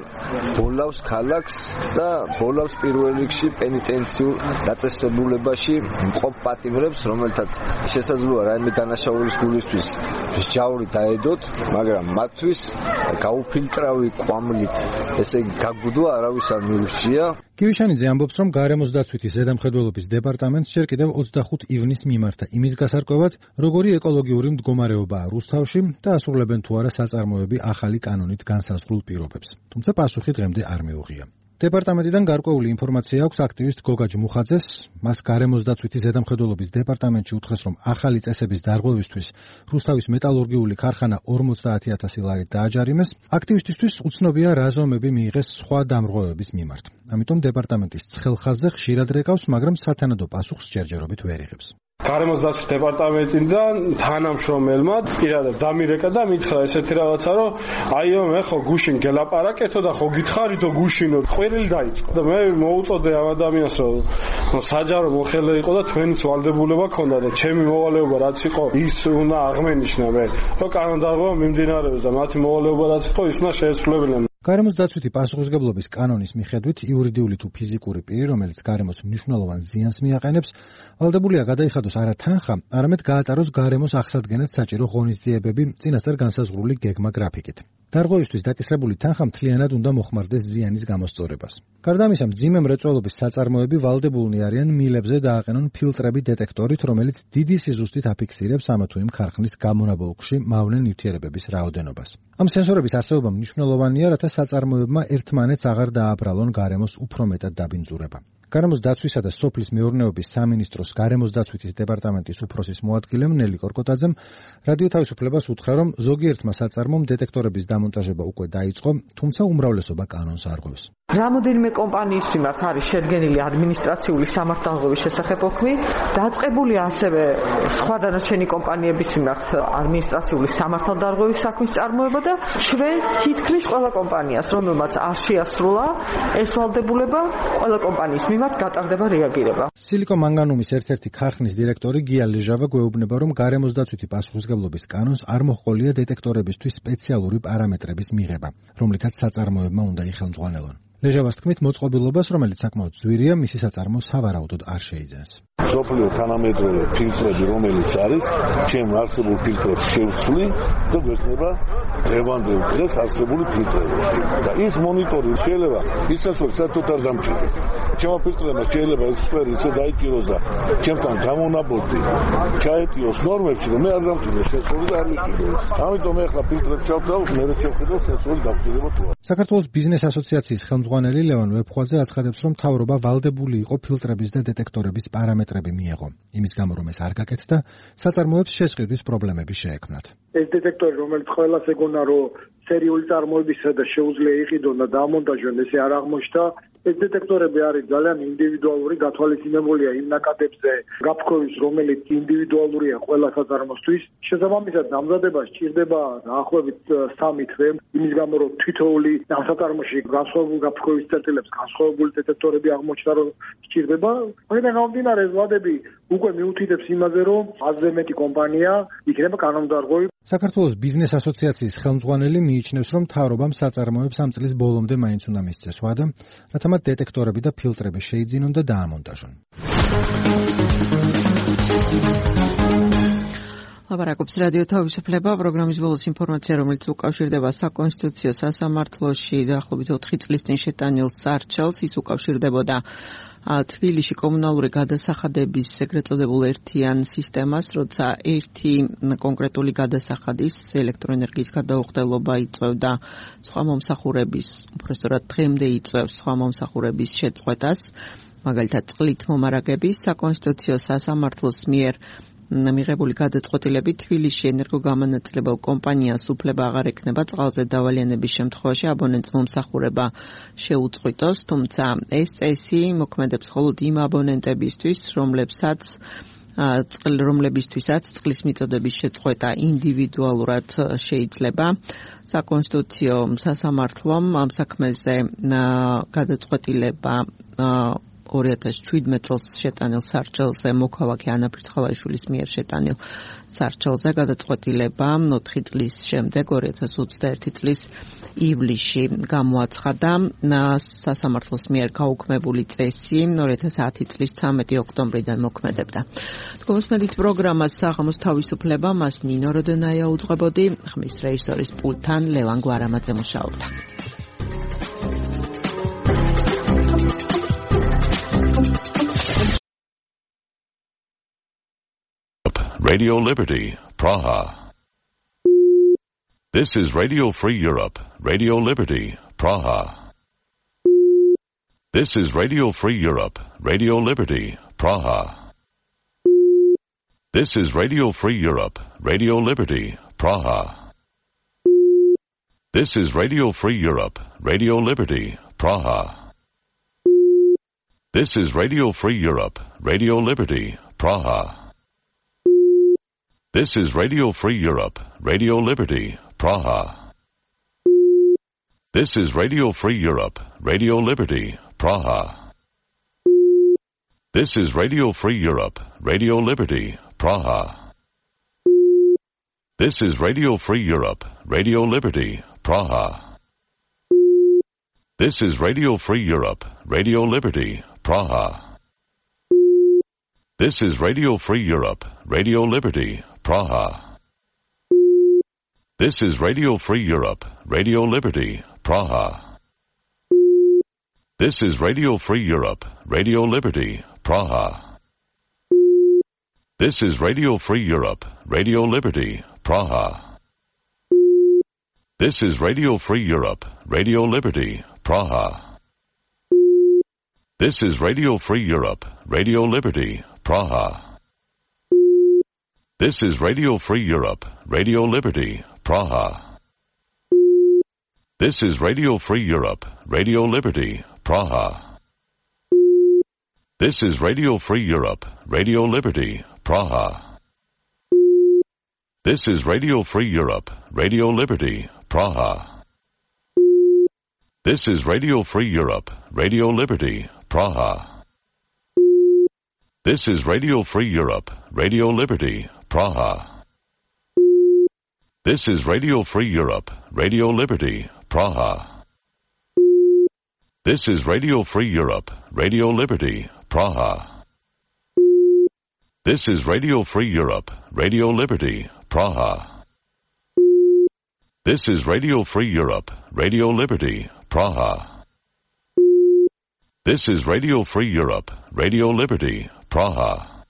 ბოლავს ქალაქს და ბოლავს პირველ რიგში პენიტენციურ დაწესებულებაში მყოფ პატიმრებს, რომელთაც შესაძლოა რაიმე დანაშაულის გულისთვის ჯაური დაედოთ, მაგრამ მათთვის გაუფილტრავი კვამლით, ესე იგი გაგუდვა არავის არ მიურჩია. გივიშანიძე ამბობს, რომ გარემოს დაცვითი ზედამხედველობის დეპარტამენტს ჯერ კიდევ 25 ივნისს მიმართა იმის გასარკვევად, როგორი ეკოლოგიური მდგომარეობაა რუსთავში და ასრულებენ თუ არა საწარმოები ახალი კანონით განსაზღვრულ პირობებს. თუმცა პასუხი დღემდე არ მიუღია. დეპარტამენტიდან გარკვეული ინფორმაცია აქვს აქტივისტ გოგა ჯმუხაძეს. მას გარემოს დაცვითი ზედამხედველობის დეპარტამენტში უთხრეს, რომ ახალი წესების დარღვევისთვის რუსთავის მეტალურგიული ქარხანა 50,000 ლარით დააჯარიმეს. აქტივისტისთვის უცნობია რა ზომები მიიღეს სხვა დამრღვევების მიმართ. ამიტომ დეპარტამენტის ცხელხაზზე ხშირად რეკავს, მაგრამ სათანადო პასუხს ჯერჯერობით ვერ იღებს. გარემოს დაცვის დეპარტამენტიდან თანამშრომელმა პირადად დამირეკა და მითხრა ესეთი რაღაცა, რომ აიო მე ხო გუშინ გელაპარაკეთო და ხო გითხარითო გუშინო ყვირილი დაიწყო და მე მოუწოდე ამ ადამიანს, რომ საჯარო მოხელე იყო და თქვენიც ვალდებულება ქონდა და ჩემი მოვალეობა რაც იყო ის უნდა აღმენიშნა მე, რომ კანონდარღვევა მიმდინარეობს და მათი მოვალეობა რაც იყო ის უნდა შეესრულებინა. გარემოს დაცვითი პასუხისმგებლობის კანონის მიხედვით იურიდიული თუ ფიზიკური პირი, რომელიც გარემოს მნიშვნელოვან ზიანს მიაყენებს, ვალდებულია გადაიხადოს არა თანხა, არამედ გაატაროს გარემოს აღსადგენად საჭირო ღონისძიებები წინასწარ განსაზღვრული გეგმა გრაფიკით. დარღვევისთვის დაკისრებული თანხა მთლიანად უნდა მოხმარდეს ზიანის გამოსწორებას. გარდა ამისა, მძიმე მრეწველობის საწარმოები ვალდებულნი არიან მილებზე დააყენონ ფილტრები დეტექტორით, რომელიც დიდი სიზუსტით აფიქსირებს ამა თუ იმ ქარხნის გამონაბოლქვში მავნე ნივთიერებების რაოდენობას. ამ სენსორების არსებობა მნიშვნელოვანია, რათა საწარმოებმა ერთმანეთს აღარ დააბრალონ გარემოს უფრო მეტად დაბინძურება. გარემოს დაცვისა და სოფლის მეურნეობის სამინისტროს გარემოს დაცვითის დეპარტამენტის უფროსის მოადგილემ ნელი კორკოტაძემ რადიო თავისუფლებას უთხრა, რომ ზოგიერთმა საწარმომ დეტექტორების დამონტაჟება უკვე დაიწყო, თუმცა უმრავლესობა კანონს არღვევს. რამოდენიმე კომპანიის მიმართ არის შედგენილი ადმინისტრაციული სამართალდღეობის შესახებ ოქმი, დაწყებულია ასევე სხვა დანარჩენი კომპანიების მიმართ ადმინისტრაციული სამართალდღეობის საქმის წარმოება და ჩვენ თითქმის ყველა კომპანიას, რომელმაც არ შეასრულა ეს ვალდებულება, ყველა კომპანიის მიმართ გატარდება რეაგირება. სილიკომანგანუმის ერთ-ერთი ქარხნის დირექტორი გია ლეჟავა გვეუბნება, რომ გარემოს დაცვითი პასუხისმგებლობის კანონს არ მოჰყოლია დეტექტორებისთვის სპეციალური პარამეტრების მიღება, რომლითაც საწარმოებმა უნდა იხელმძღვანელონ. ლეჟავას თქმით, მოწყობილობას, რომელიც საკმაოდ ძვირია, მისი საწარმო სავარაუდოდ არ შეიძენს. სოფლიო თანამედროვე ფილტრები, რომელიც არის, ჩემ არსებულ ფილტრებს შევცვლი და გვექნება დღევანდელ დღეს არსებული ფილტრები. და ის მონიტორი შეიძლება ისაც საერთოდ არ დამჭირდეს. ჩემო ფილტრებმა შეიძლება ეს სფერი ისე დაიჭიროს და ჩემთან გამონაბოლდი ჩაეტიოს ნორმებში, რომ მე არ დამჭირდეს სენსორი და არ ვიყიდოს. ამიტომ მე ახლა ფილტრებს ჩავდავ, მე შევხედავ სენსორი დამჭირდება თუ არა. საქართველოს ბიზნეს ასოციაციის ხელმძღვანელი ლევან ვეფხვაძე აცხადებს, რომ მთავრობა ვალდებული იყო ფილტრების და დეტექტორების პარამეტრები მიეღო. იმის გამო, რომ ეს არ გაკეთდა, საწარმოებს შესყიდვის პრობლემები შეექმნათ. ეს დეტექტორი, რომელიც ყველას ეგონა, რომ სერიული წარმოებისა და შეუძლია იყიდონ და დამონტაჟონ, ესე არ აღმოჩნდა. ეს დეტექტორები არის ძალიან ინდივიდუალური, გათვალისწინებულია იმ ნაკადებზე გაფრქვევის, რომელიც ინდივიდუალურია ყველა საწარმოსთვის. შესაბამისად, დამზადება სჭირდება დაახლოებით 3 თვე, იმის გამო, რომ თითოეული ამ საწარმოში განსხვავებული გაფრქვევის წერტილებს, განსხვავებული დეტექტორები აღმოჩნდა, რომ სჭირდება. აქედან გამომდინარე, ეს ვადები უკვე მიუთითებს იმაზე, რომ აზზე მეტი კომპანია იქნება კანონდარღვევი. საქართველოს ბიზნეს ასოციაციის ხელმძღვანელი მიიჩნევს, რომ მთავრობამ საწარმოებს ამ წლის ბოლომდე მაინც უნდა მისცეს ვადა, რათა მათ დეტექტორები და ფილტრები შეიძინონ და დაამონტაჟონ. ლაპარაკობს რადიო თავისუფლება, პროგრამის ბოლოს ინფორმაცია, რომელიც უკავშირდება საკონსტიტუციო სასამართლოში დაახლოებით 4 წლის წინ შეტანილ სარჩელს, ის უკავშირდებოდა თბილისში კომუნალური გადასახადების ეგრეთ წოდებულ ერთიან სისტემას, როცა ერთი კონკრეტული გადასახადის ელექტროენერგიის გადაუხდელობა იწვევდა სხვა მომსახურების, უпростоრად დღემდე იწვევს სხვა მომსახურების შეწყვეტას, მაგალითად წყლით მომარაგების. საკონსტიტუციო სასამართლოს მიერ მიღებული გადაწყვეტილებით თბილისში ენერგოგამანაწილებელ კომპანიას უფლება აღარ ექნება წყალზე დავალიანების შემთხვევაში აბონენტს მომსახურება შეუწყვიტოს, თუმცა ეს წესი მოქმედებს მხოლოდ იმ აბონენტებისთვის, რომლებისთვისაც წყლის მიწოდების შეწყვეტა ინდივიდუალურად შეიძლება. საკონსტიტუციო სასამართლომ ამ საქმეზე გადაწყვეტილება 2017 წელს შეტანილ სარჩელზე მოქალაქე ანა ფრიცხალაშვილის მიერ შეტანილ სარჩელზე გადაწყვეტილება 4 წლის შემდეგ 2021 წლის ივლისში გამოაცხადა. სასამართლოს მიერ გაუქმებული წესი 2010 წლის 13 ოქტომბრიდან მოქმედებდა. თქვენსმედით პროგრამას საღამოს თავისუფლება მას ნინო როდონაია უძღვებოდი, ხმის რეჟისორის პულტთან ლევან გვარამაძე მუშაობდა. Radio Liberty, Praha. This is Radio Free Europe, Radio Liberty, Praha. This is Radio Free Europe, Radio Liberty, Praha. This is Radio Free Europe, Radio Liberty, Praha. This is Radio Free Europe, Radio Liberty, Praha. This is Radio Free Europe, Radio Liberty, Praha. This is Radio Free Europe, Radio Liberty, Praha. This is Radio Free Europe, Radio Liberty, Praha. This is Radio Free Europe, Radio Liberty, Praha. This is Radio Free Europe, Radio Liberty, Praha. This is Radio Free Europe, Radio Liberty, Praha. This is Radio Free Europe, Radio Liberty, Praha. This is Radio Free Europe, Radio Liberty, Praha. This is Radio Free Europe, Radio Liberty, Praha. This is Radio Free Europe, Radio Liberty, Praha. This is Radio Free Europe, Radio Liberty, Praha. This is Radio Free Europe, Radio Liberty, Praha. This is Radio Free Europe, Radio Liberty, Praha. This is Radio Free Europe, Radio Liberty, Praha. This is Radio Free Europe, Radio Liberty, Praha. This is Radio Free Europe, Radio Liberty, Praha. This is Radio Free Europe, Radio Liberty, Praha. This is Radio Free Europe, Radio Liberty, Praha. This is Radio Free Europe, Radio Liberty, Praha. This is Radio Free Europe, Radio Liberty, Praha. This is Radio Free Europe, Radio Liberty, Praha. This is Radio Free Europe, Radio Liberty, Praha.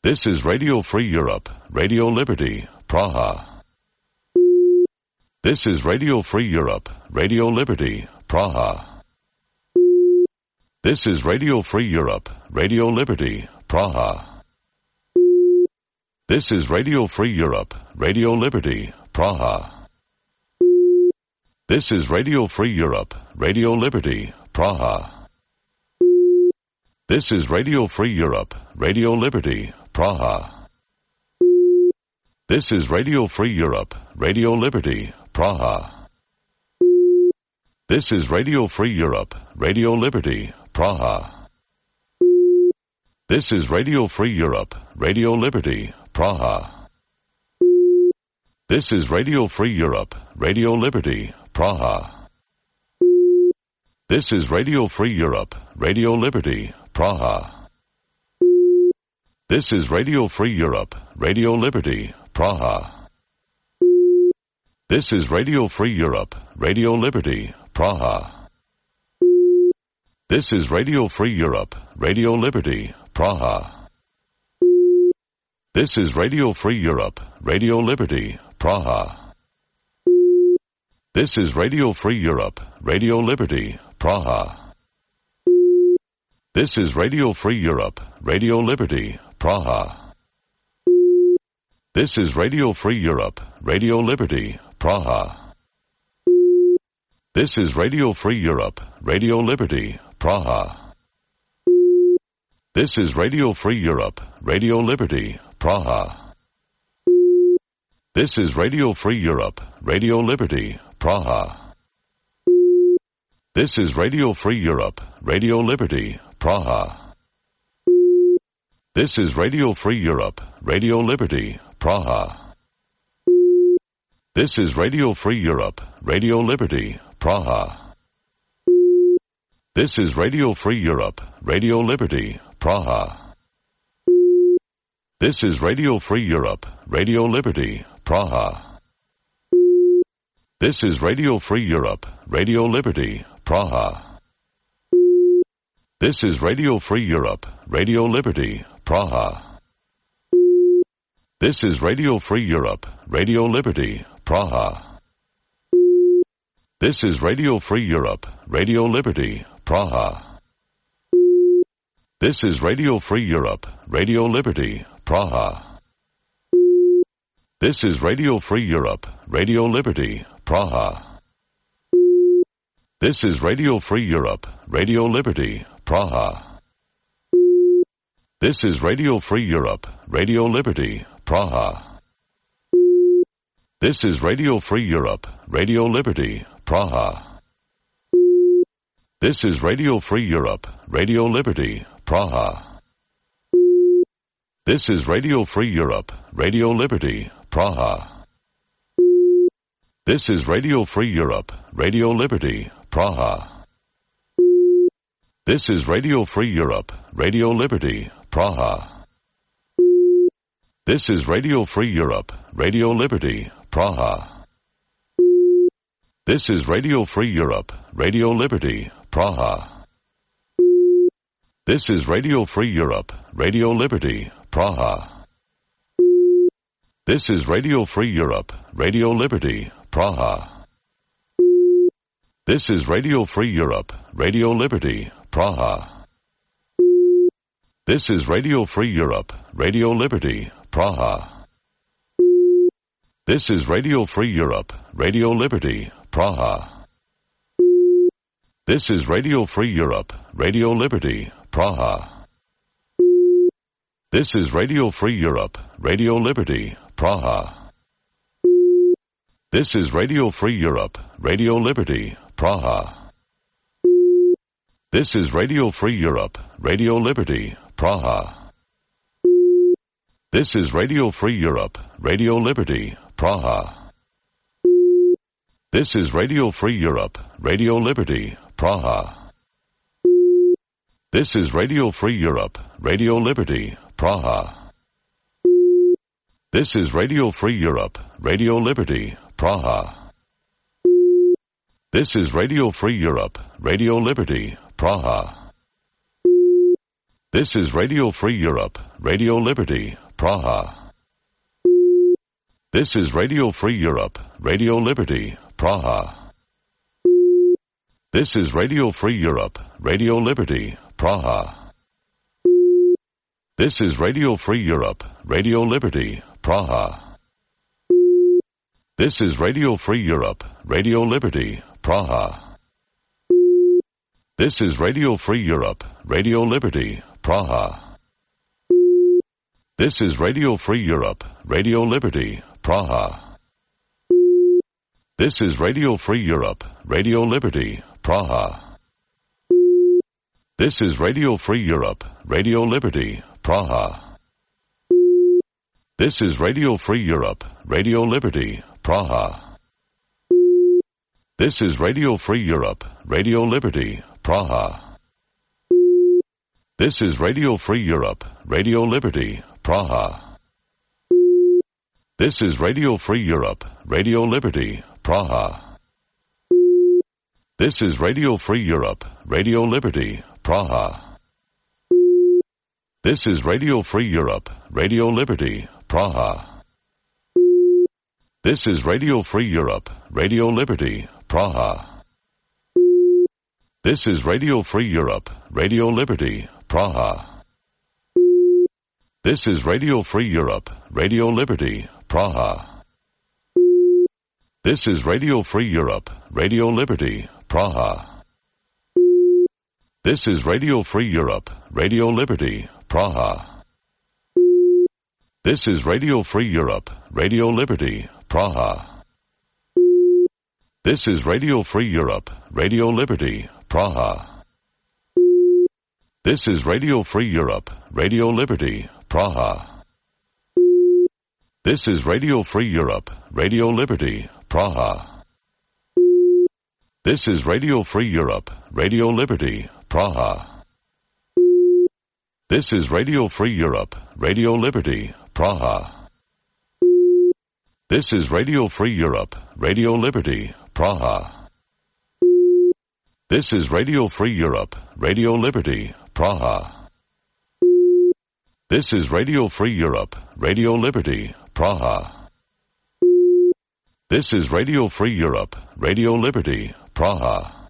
This is Radio Free Europe, Radio Liberty, Praha. This is Radio Free Europe, Radio Liberty, Praha. This is Radio Free Europe, Radio Liberty, Praha. This is Radio Free Europe, Radio Liberty, Praha. This is Radio Free Europe, Radio Liberty, Praha. This is Radio Free Europe, Radio Liberty, Praha. This is Radio Free Europe, Radio Liberty, Praha. This is Radio Free Europe, Radio Liberty, Praha. This is Radio Free Europe, Radio Liberty, Praha. This is Radio Free Europe, Radio Liberty, Praha. This is Radio Free Europe, Radio Liberty, Praha. This is Radio Free Europe, Radio Liberty, Praha. This is Radio Free Europe, Radio Liberty, Praha. This is Radio Free Europe, Radio Liberty, Praha. This is Radio Free Europe, Radio Liberty, Praha. This is Radio Free Europe, Radio Liberty, Praha. This is Radio Free Europe, Radio Liberty, Praha. This is Radio Free Europe, Radio Liberty, Praha. This is Radio Free Europe, Radio Liberty, Praha. This is Radio Free Europe, Radio Liberty, Praha. This is Radio Free Europe, Radio Liberty, Praha. This is Radio Free Europe, Radio Liberty, Praha. This is Radio Free Europe, Radio Liberty, Praha. This is Radio Free Europe, Radio Liberty, Praha. This is Radio Free Europe, Radio Liberty, Praha. This is Radio Free Europe, Radio Liberty, Praha. This is Radio Free Europe, Radio Liberty, Praha. This is Radio Free Europe, Radio Liberty, Praha. This is Radio Free Europe, Radio Liberty, Praha. This is Radio Free Europe, Radio Liberty, Praha. This is Radio Free Europe, Radio Liberty, Praha. This is Radio Free Europe, Radio Liberty, Praha. This is Radio Free Europe, Radio Liberty, Praha. This is Radio Free Europe, Radio Liberty, Praha. This is Radio Free Europe, Radio Liberty, Praha. This is Radio Free Europe, Radio Liberty, Praha. This is Radio Free Europe, Radio Liberty, Praha. This is Radio Free Europe, Radio Liberty, Praha. This is Radio Free Europe, Radio Liberty, Praha. This is Radio Free Europe, Radio Liberty, Praha. This is Radio Free Europe, Radio Liberty, Praha. This is Radio Free Europe, Radio Liberty, Praha. This is Radio Free Europe, Radio Liberty, Praha. This is Radio Free Europe, Radio Liberty, Praha. This is Radio Free Europe, Radio Liberty, Praha. This is Radio Free Europe, Radio Liberty, Praha. This is Radio Free Europe, Radio Liberty, Praha. This is Radio Free Europe, Radio Liberty, Praha. This is Radio Free Europe, Radio Liberty, Praha. This is Radio Free Europe, Radio Liberty, Praha. This is Radio Free Europe, Radio Liberty, Praha. This is Radio Free Europe, Radio Liberty, Praha. This is Radio Free Europe, Radio Liberty, Praha. This is Radio Free Europe, Radio Liberty, Praha. This is Radio Free Europe, Radio Liberty, Praha. This is Radio Free Europe, Radio Liberty, Praha. This is Radio Free Europe, Radio Liberty, Praha. This is Radio Free Europe, Radio Liberty, Praha. This is Radio Free Europe, Radio Liberty, Praha. This is Radio Free Europe, Radio Liberty, Praha. This is Radio Free Europe, Radio Liberty, Praha. This is Radio Free Europe, Radio Liberty, Praha. This is Radio Free Europe, Radio Liberty, Praha. This is Radio Free Europe, Radio Liberty, Praha. This is Radio Free Europe, Radio Liberty, Praha. This is Radio Free Europe, Radio Liberty, Praha. This is Radio Free Europe, Radio Liberty, Praha. This is Radio Free Europe, Radio Liberty, Praha. This is Radio Free Europe, Radio Liberty, Praha. This is Radio Free Europe, Radio Liberty, Praha. This is Radio Free Europe, Radio Liberty, Praha. This is Radio Free Europe, Radio Liberty, Praha. This is Radio Free Europe, Radio Liberty, Praha. This is Radio Free Europe, Radio Liberty, Praha. This is Radio Free Europe, Radio Liberty, Praha. This is Radio Free Europe, Radio Liberty, Praha. This is Radio Free Europe, Radio Liberty, Praha. This is Radio Free Europe, Radio Liberty, Praha. This is Radio Free Europe, Radio Liberty, Praha. This is Radio Free Europe, Radio Liberty, Praha. This is Radio Free Europe, Radio Liberty, Praha. This is Radio Free Europe, Radio Liberty, Praha. This is Radio Free Europe, Radio Liberty, Praha. This is Radio Free Europe, Radio Liberty, Praha. This is Radio Free Europe, Radio Liberty, Praha. This is Radio Free Europe, Radio Liberty, Praha.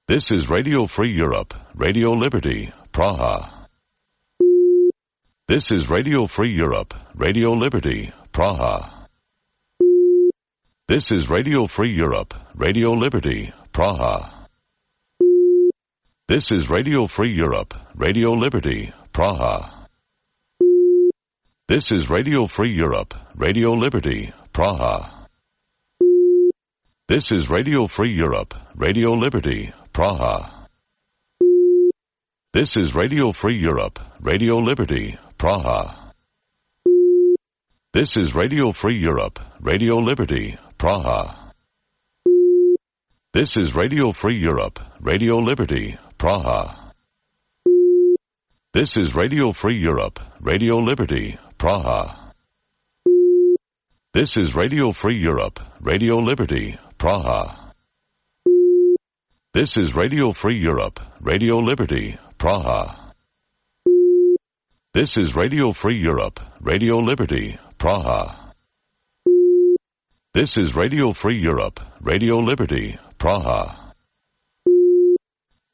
This is Radio Free Europe, Radio Liberty, Praha. This is Radio Free Europe, Radio Liberty, Praha. This is Radio Free Europe, Radio Liberty, Praha. This is Radio Free Europe, Radio Liberty, Praha. This is Radio Free Europe, Radio Liberty, Praha. This is Radio Free Europe, Radio Liberty, Praha. This is Radio Free Europe, Radio Liberty, Praha. This is Radio Free Europe, Radio Liberty, Praha. This is Radio Free Europe, Radio Liberty, Praha. This is Radio Free Europe, Radio Liberty, Praha. This is Radio Free Europe, Radio Liberty, Praha. This is Radio Free Europe, Radio Liberty, Praha. This is Radio Free Europe, Radio Liberty, Praha. This is Radio Free Europe, Radio Liberty, Praha.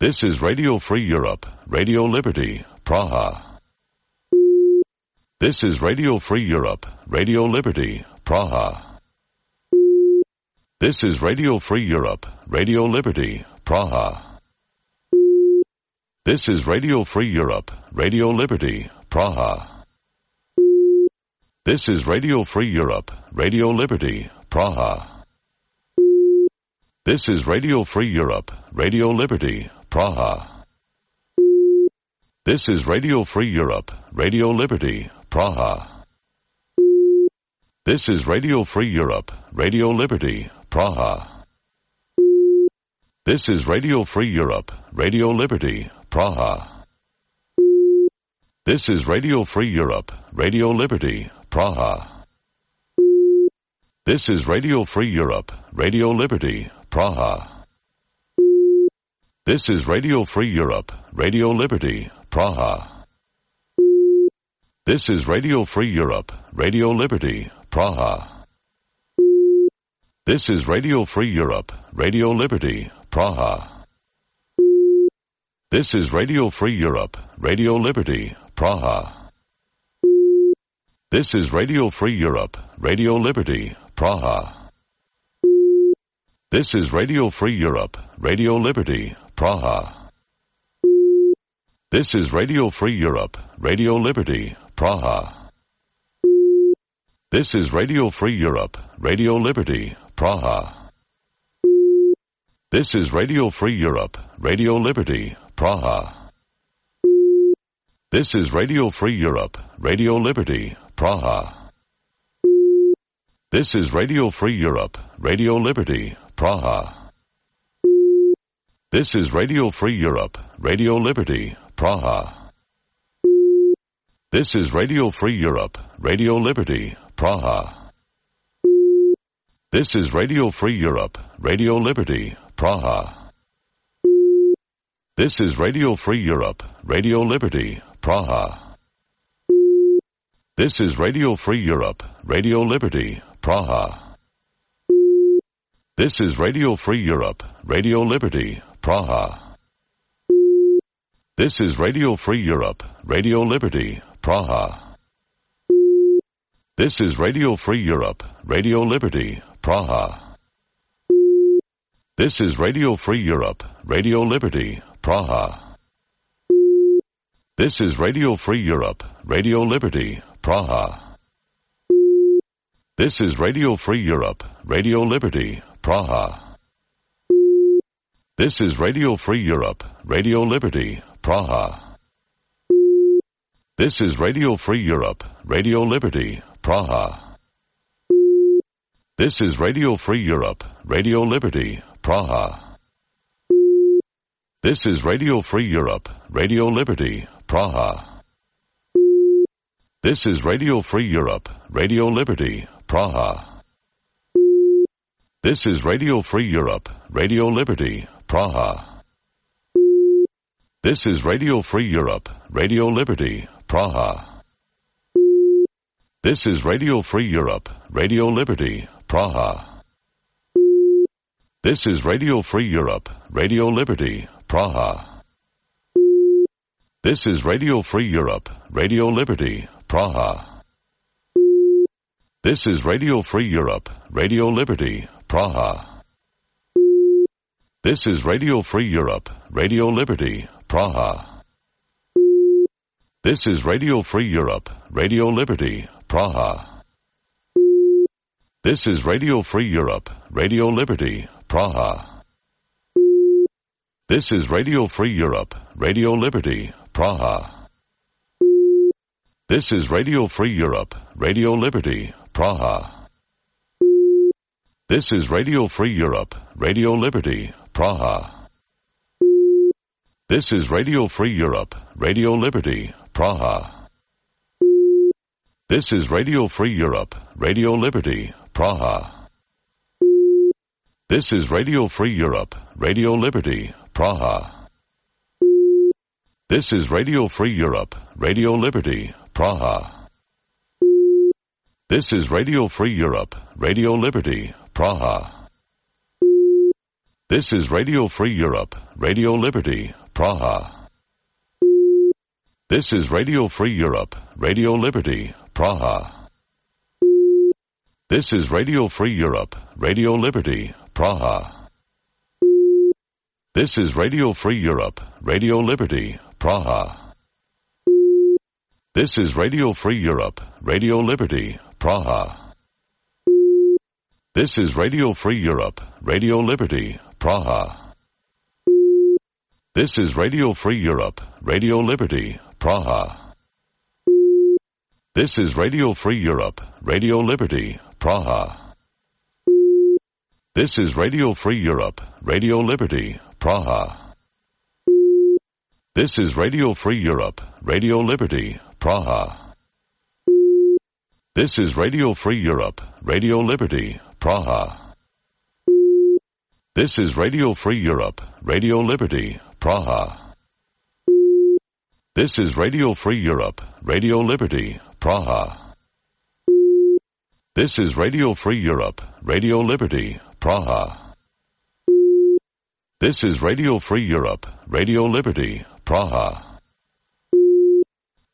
This is Radio Free Europe, Radio Liberty, Praha. This is Radio Free Europe, Radio Liberty, Praha. This is Radio Free Europe, Radio Liberty, Praha. This is Radio Free Europe, Radio Liberty, Praha. This is Radio Free Europe, Radio Liberty, Praha. This is Radio Free Europe, Radio Liberty, Praha. This is Radio Free Europe, Radio Liberty, Praha. This is Radio Free Europe, Radio Liberty, Praha. This is Radio Free Europe, Radio Liberty, Praha. This is Radio Free Europe, Radio Liberty, Praha. This is Radio Free Europe, Radio Liberty, Praha. This is Radio Free Europe, Radio Liberty, Praha. This is Radio Free Europe, Radio Liberty, Praha. This is Radio Free Europe, Radio Liberty, Praha. This is Radio Free Europe, Radio Liberty, Praha. This is Radio Free Europe, Radio Liberty, Praha. This is Radio Free Europe, Radio Liberty, Praha. This is Radio Free Europe, Radio Liberty, Praha. This is Radio Free Europe, Radio Liberty, Praha. This is Radio Free Europe, Radio Liberty, Praha. This is Radio Free Europe, Radio Liberty, Praha. This is Radio Free Europe, Radio Liberty, Praha. This is Radio Free Europe, Radio Liberty, Praha. This is Radio Free Europe, Radio Liberty, Praha. This is Radio Free Europe, Radio Liberty, Praha. This is Radio Free Europe, Radio Liberty, Praha. This is Radio Free Europe, Radio Liberty, Praha. This is Radio Free Europe, Radio Liberty, Praha. This is Radio Free Europe, Radio Liberty, Praha. This is Radio Free Europe, Radio Liberty, Praha. This is Radio Free Europe, Radio Liberty, Praha. This is Radio Free Europe, Radio Liberty, Praha. This is Radio Free Europe, Radio Liberty, Praha. This is Radio Free Europe, Radio Liberty, Praha. This is Radio Free Europe, Radio Liberty, Praha. This is Radio Free Europe, Radio Liberty, Praha. This is Radio Free Europe, Radio Liberty, Praha. This is Radio Free Europe, Radio Liberty, Praha. This is Radio Free Europe, Radio Liberty, Praha. This is Radio Free Europe, Radio Liberty, Praha. This is Radio Free Europe, Radio Liberty, Praha. This is Radio Free Europe, Radio Liberty, Praha. This is Radio Free Europe, Radio Liberty, Praha. This is Radio Free Europe, Radio Liberty, Praha. This is Radio Free Europe, Radio Liberty, Praha. This is Radio Free Europe, Radio Liberty, Praha. This is Radio Free Europe, Radio Liberty, Praha. This is Radio Free Europe, Radio Liberty, Praha. This is Radio Free Europe, Radio Liberty, Praha. This is Radio Free Europe, Radio Liberty, Praha. This is Radio Free Europe, Radio Liberty, Praha. This is Radio Free Europe, Radio Liberty, Praha. This is Radio Free Europe, Radio Liberty, Praha. This is Radio Free Europe, Radio Liberty, Praha. This is Radio Free Europe, Radio Liberty, Praha. This is Radio Free Europe, Radio Liberty, Praha. This is Radio Free Europe, Radio Liberty, Praha. This is Radio Free Europe, Radio Liberty, Praha. This is Radio Free Europe, Radio Liberty, Praha. This is Radio Free Europe, Radio Liberty, Praha. This is Radio Free Europe, Radio Liberty, Praha. This is Radio Free Europe, Radio Liberty, Praha. This is Radio Free Europe, Radio Liberty, Praha. This is Radio Free Europe, Radio Liberty, Praha. This is Radio Free Europe, Radio Liberty, Praha. This is Radio Free Europe, Radio Liberty, Praha. This is Radio Free Europe, Radio Liberty, Praha. This is Radio Free Europe, Radio Liberty, Praha. This is Radio Free Europe, Radio Liberty, Praha. This is Radio Free Europe, Radio Liberty, Praha.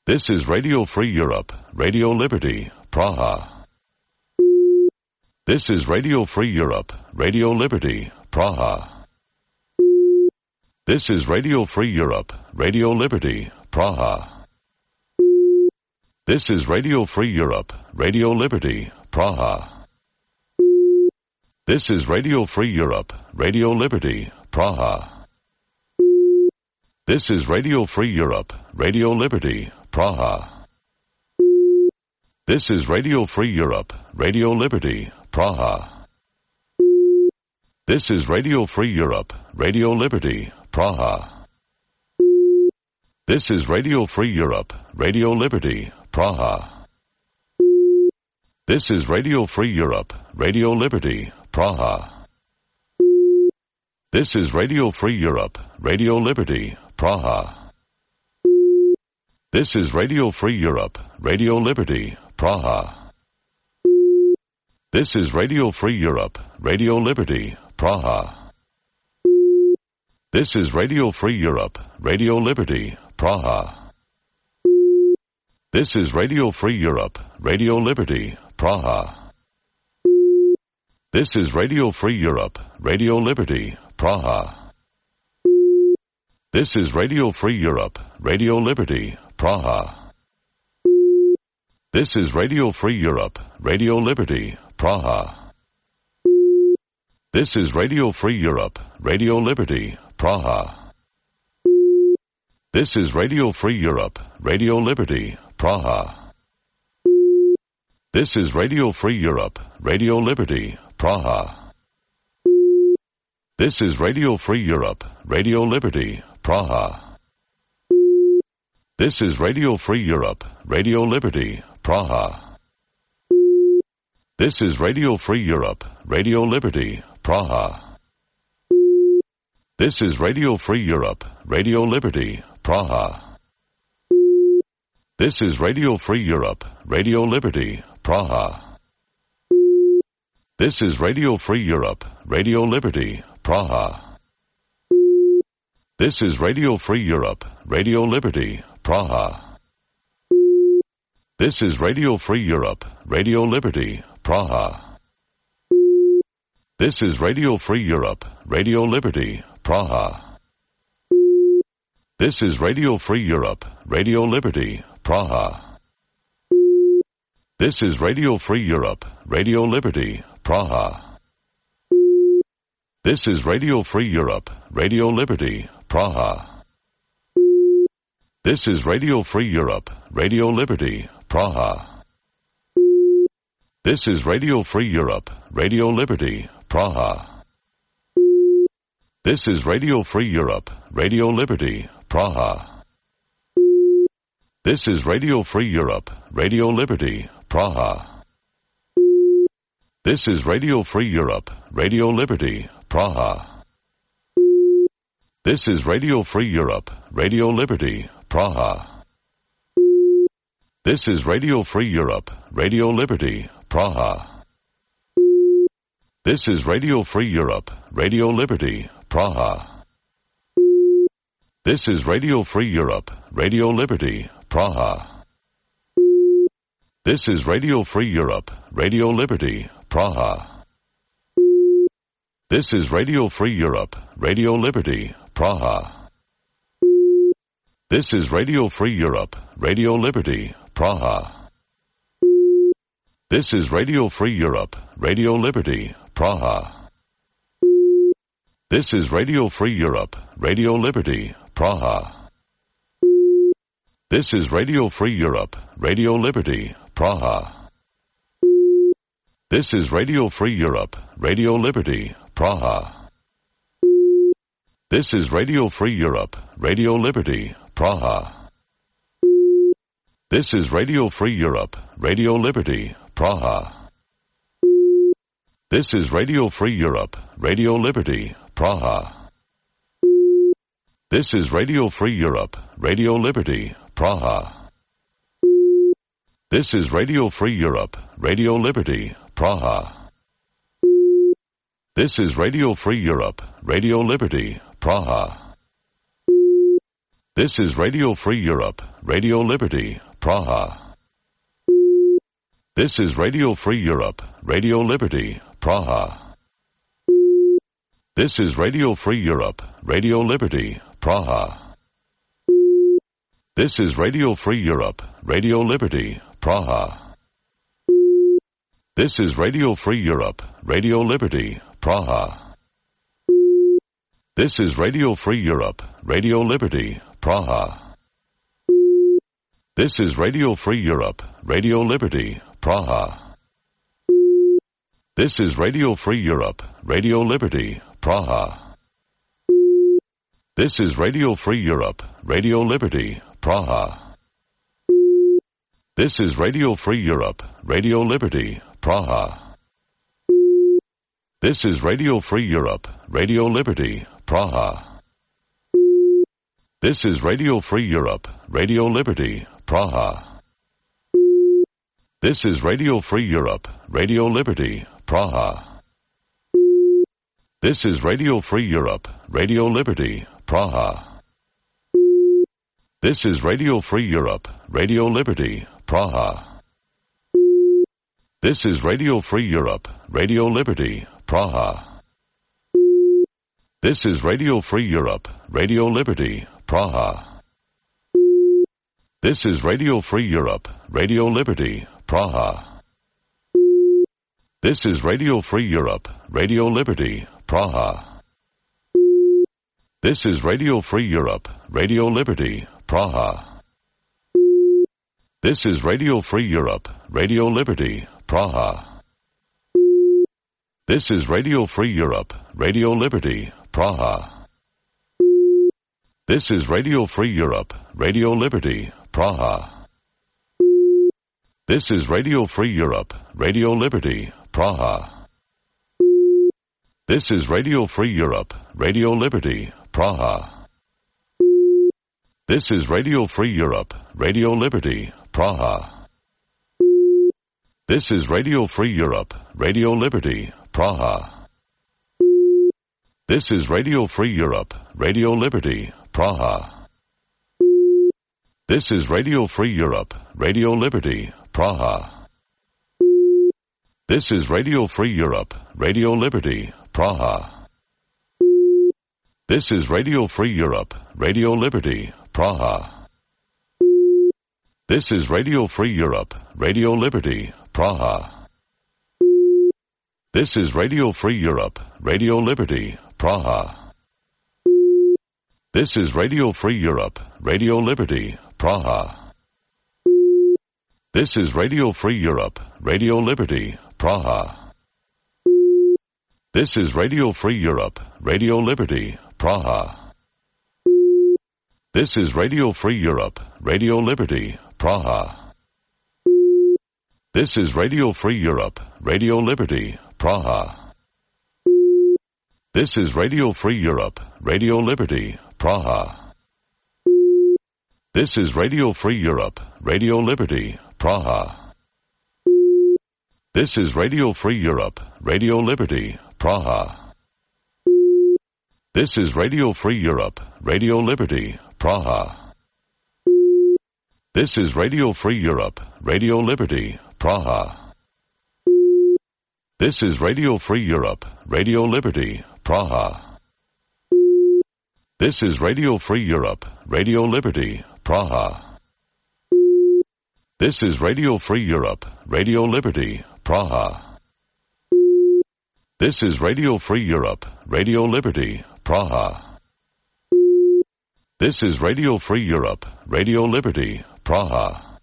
This is Radio Free Europe, Radio Liberty, Praha. This is Radio Free Europe, Radio Liberty, Praha. This is Radio Free Europe, Radio Liberty, Praha. This is Radio Free Europe, Radio Liberty, Praha. This is Radio Free Europe, Radio Liberty, Praha. This is Radio Free Europe, Radio Liberty, Praha. This is Radio Free Europe, Radio Liberty, Praha. This is Radio Free Europe, Radio Liberty, Praha. This is Radio Free Europe, Radio Liberty, Praha. This is Radio Free Europe, Radio Liberty, Praha. This is Radio Free Europe, Radio Liberty, Praha. This is Radio Free Europe, Radio Liberty, Praha. This is Radio Free Europe, Radio Liberty, Praha. This is Radio Free Europe, Radio Liberty, Praha. This is Radio Free Europe, Radio Liberty, Praha. This is Radio Free Europe, Radio Liberty, Praha. This is Radio Free Europe, Radio Liberty, Praha. This is Radio Free Europe, Radio Liberty, Praha. This is Radio Free Europe, Radio Liberty, Praha. This is Radio Free Europe, Radio Liberty, Praha. This is Radio Free Europe, Radio Liberty, Praha. This is Radio Free Europe, Radio Liberty, Praha. This is Radio Free Europe, Radio Liberty, Praha. This is Radio Free Europe, Radio Liberty, Praha. This is Radio Free Europe, Radio Liberty, Praha. This is Radio Free Europe, Radio Liberty, Praha. This is Radio Free Europe, Radio Liberty, Praha. This is Radio Free Europe, Radio Liberty, Praha. This is Radio Free Europe, Radio Liberty, Praha. This is Radio Free Europe, Radio Liberty, Praha. This is Radio Free Europe, Radio Liberty, Praha. This is Radio Free Europe, Radio Liberty, Praha. This is Radio Free Europe, Radio Liberty, Praha. This is Radio Free Europe, Radio Liberty, Praha. This is Radio Free Europe, Radio Liberty, Praha. This is Radio Free Europe, Radio Liberty, Praha. This is Radio Free Europe, Radio Liberty, Praha. This is Radio Free Europe, Radio Liberty, Praha. This is Radio Free Europe, Radio Liberty, Praha. This is Radio Free Europe, Radio Liberty, Praha. This is Radio Free Europe, Radio Liberty, Praha. This is Radio Free Europe, Radio Liberty, Praha. This is Radio Free Europe, Radio Liberty, Praha. This is Radio Free Europe, Radio Liberty, Praha. This is Radio Free Europe, Radio Liberty, Praha. This is Radio Free Europe, Radio Liberty, Praha. This is Radio Free Europe, Radio Liberty, Praha. This is Radio Free Europe, Radio Liberty, Praha. This is Radio Free Europe, Radio Liberty, Praha. This is Radio Free Europe, Radio Liberty, Praha. This is Radio Free Europe, Radio Liberty, Praha. This is Radio Free Europe, Radio Liberty, Praha. This is Radio Free Europe, Radio Liberty, Praha. This is Radio Free Europe, Radio Liberty, Praha. This is Radio Free Europe, Radio Liberty, Praha. This is Radio Free Europe, Radio Liberty, Praha. This is Radio Free Europe, Radio Liberty, Praha. This is Radio Free Europe, Radio Liberty, Praha. This is Radio Free Europe, Radio Liberty, Praha. This is Radio Free Europe, Radio Liberty, Praha. This is Radio Free Europe, Radio Liberty, Praha. This is Radio Free Europe, Radio Liberty, Praha. This is Radio Free Europe, Radio Liberty, Praha. This is Radio Free Europe, Radio Liberty, Praha. This is Radio Free Europe, Radio Liberty, Praha. This is Radio Free Europe, Radio Liberty, Praha. This is Radio Free Europe, Radio Liberty, Praha. This is Radio Free Europe, Radio Liberty, Praha. This is Radio Free Europe, Radio Liberty, Praha. This is Radio Free Europe, Radio Liberty, Praha. This is Radio Free Europe, Radio Liberty, Praha. This is Radio Free Europe, Radio Liberty, Praha. This is Radio Free Europe, Radio Liberty, Praha. This is Radio Free Europe, Radio Liberty, Praha. This is Radio Free Europe, Radio Liberty, Praha. This is Radio Free Europe, Radio Liberty, Praha. This is Radio Free Europe, Radio Liberty, Praha. This is Radio Free Europe, Radio Liberty, Praha. This is Radio Free Europe, Radio Liberty, Praha. This is Radio Free Europe, Radio Liberty, Praha. This is Radio Free Europe, Radio Liberty, Praha. This is Radio Free Europe, Radio Liberty, Praha. This is Radio Free Europe, Radio Liberty, Praha. This is Radio Free Europe, Radio Liberty, Praha. This is Radio Free Europe, Radio Liberty, Praha. This is Radio Free Europe, Radio Liberty, Praha. This is Radio Free Europe, Radio Liberty, Praha. This is Radio Free Europe, Radio Liberty, Praha. This is Radio Free Europe, Radio Liberty, Praha. This is Radio Free Europe, Radio Liberty, Praha. This is Radio Free Europe, Radio Liberty, Praha. This is Radio Free Europe, Radio Liberty, Praha. This is Radio Free Europe, Radio Liberty, Praha. This is Radio Free Europe, Radio Liberty, Praha. This is Radio Free Europe, Radio Liberty, Praha. This is Radio Free Europe, Radio Liberty, Praha. This is Radio Free Europe, Radio Liberty, Praha. This is Radio Free Europe, Radio Liberty, Praha. This is Radio Free Europe, Radio Liberty, Praha. This is Radio Free Europe, Radio Liberty, Praha. This is Radio Free Europe, Radio Liberty, Praha. This is Radio Free Europe, Radio Liberty, Praha. This is Radio Free Europe, Radio Liberty, Praha.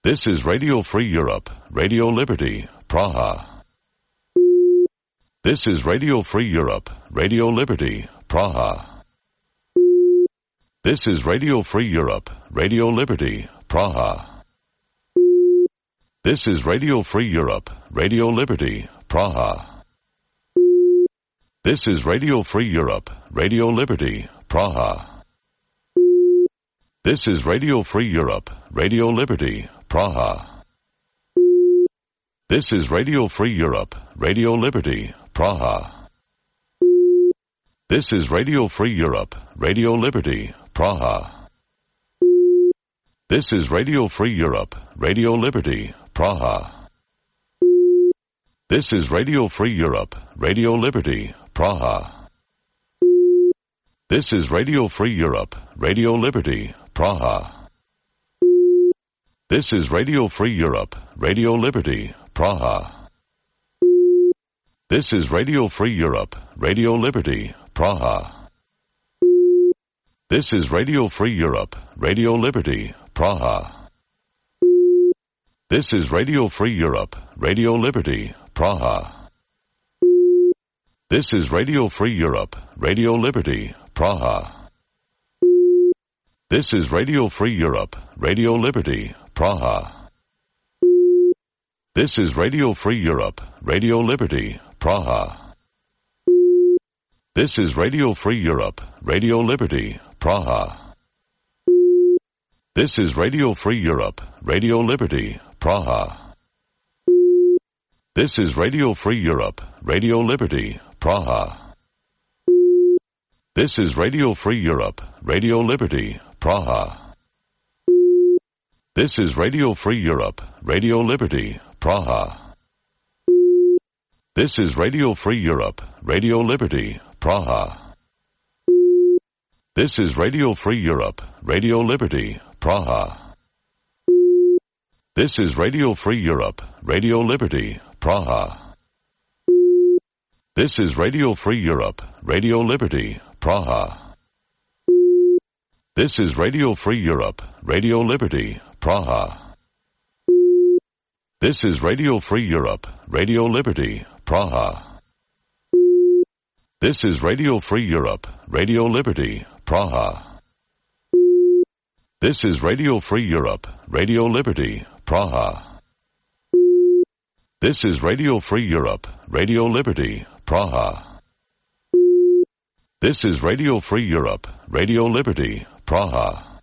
This is Radio Free Europe, Radio Liberty, Praha. This is Radio Free Europe, Radio Liberty, Praha. This is Radio Free Europe, Radio Liberty, Praha. This is Radio Free Europe, Radio Liberty, Praha. This is Radio Free Europe, Radio Liberty, Praha. This is Radio Free Europe, Radio Liberty, Praha. This is Radio Free Europe, Radio Liberty, Praha. This is Radio Free Europe, Radio Liberty, Praha. This is Radio Free Europe, Radio Liberty, Praha. This is Radio Free Europe, Radio Liberty, Praha. This is Radio Free Europe, Radio Liberty, Praha. This is Radio Free Europe, Radio Liberty, Praha. This is Radio Free Europe, Radio Liberty, Praha. This is Radio Free Europe, Radio Liberty, Praha. This is Radio Free Europe, Radio Liberty, Praha. This is Radio Free Europe, Radio Liberty, Praha. This is Radio Free Europe, Radio Liberty, Praha. This is Radio Free Europe, Radio Liberty, Praha. This is Radio Free Europe, Radio Liberty, Praha. This is Radio Free Europe, Radio Liberty, Praha. This is Radio Free Europe, Radio Liberty, Praha. This is Radio Free Europe, Radio Liberty, Praha. This is Radio Free Europe, Radio Liberty, Praha. This is Radio Free Europe, Radio Liberty, Praha. This is Radio Free Europe, Radio Liberty, Praha. This is Radio Free Europe, Radio Liberty, Praha. This is Radio Free Europe, Radio Liberty, Praha. This is Radio Free Europe, Radio Liberty, Praha. This is Radio Free Europe, Radio Liberty, Praha. This is Radio Free Europe, Radio Liberty, Praha. This is Radio Free Europe, Radio Liberty, Praha. This is Radio Free Europe, Radio Liberty, Praha. This is Radio Free Europe, Radio Liberty, Praha.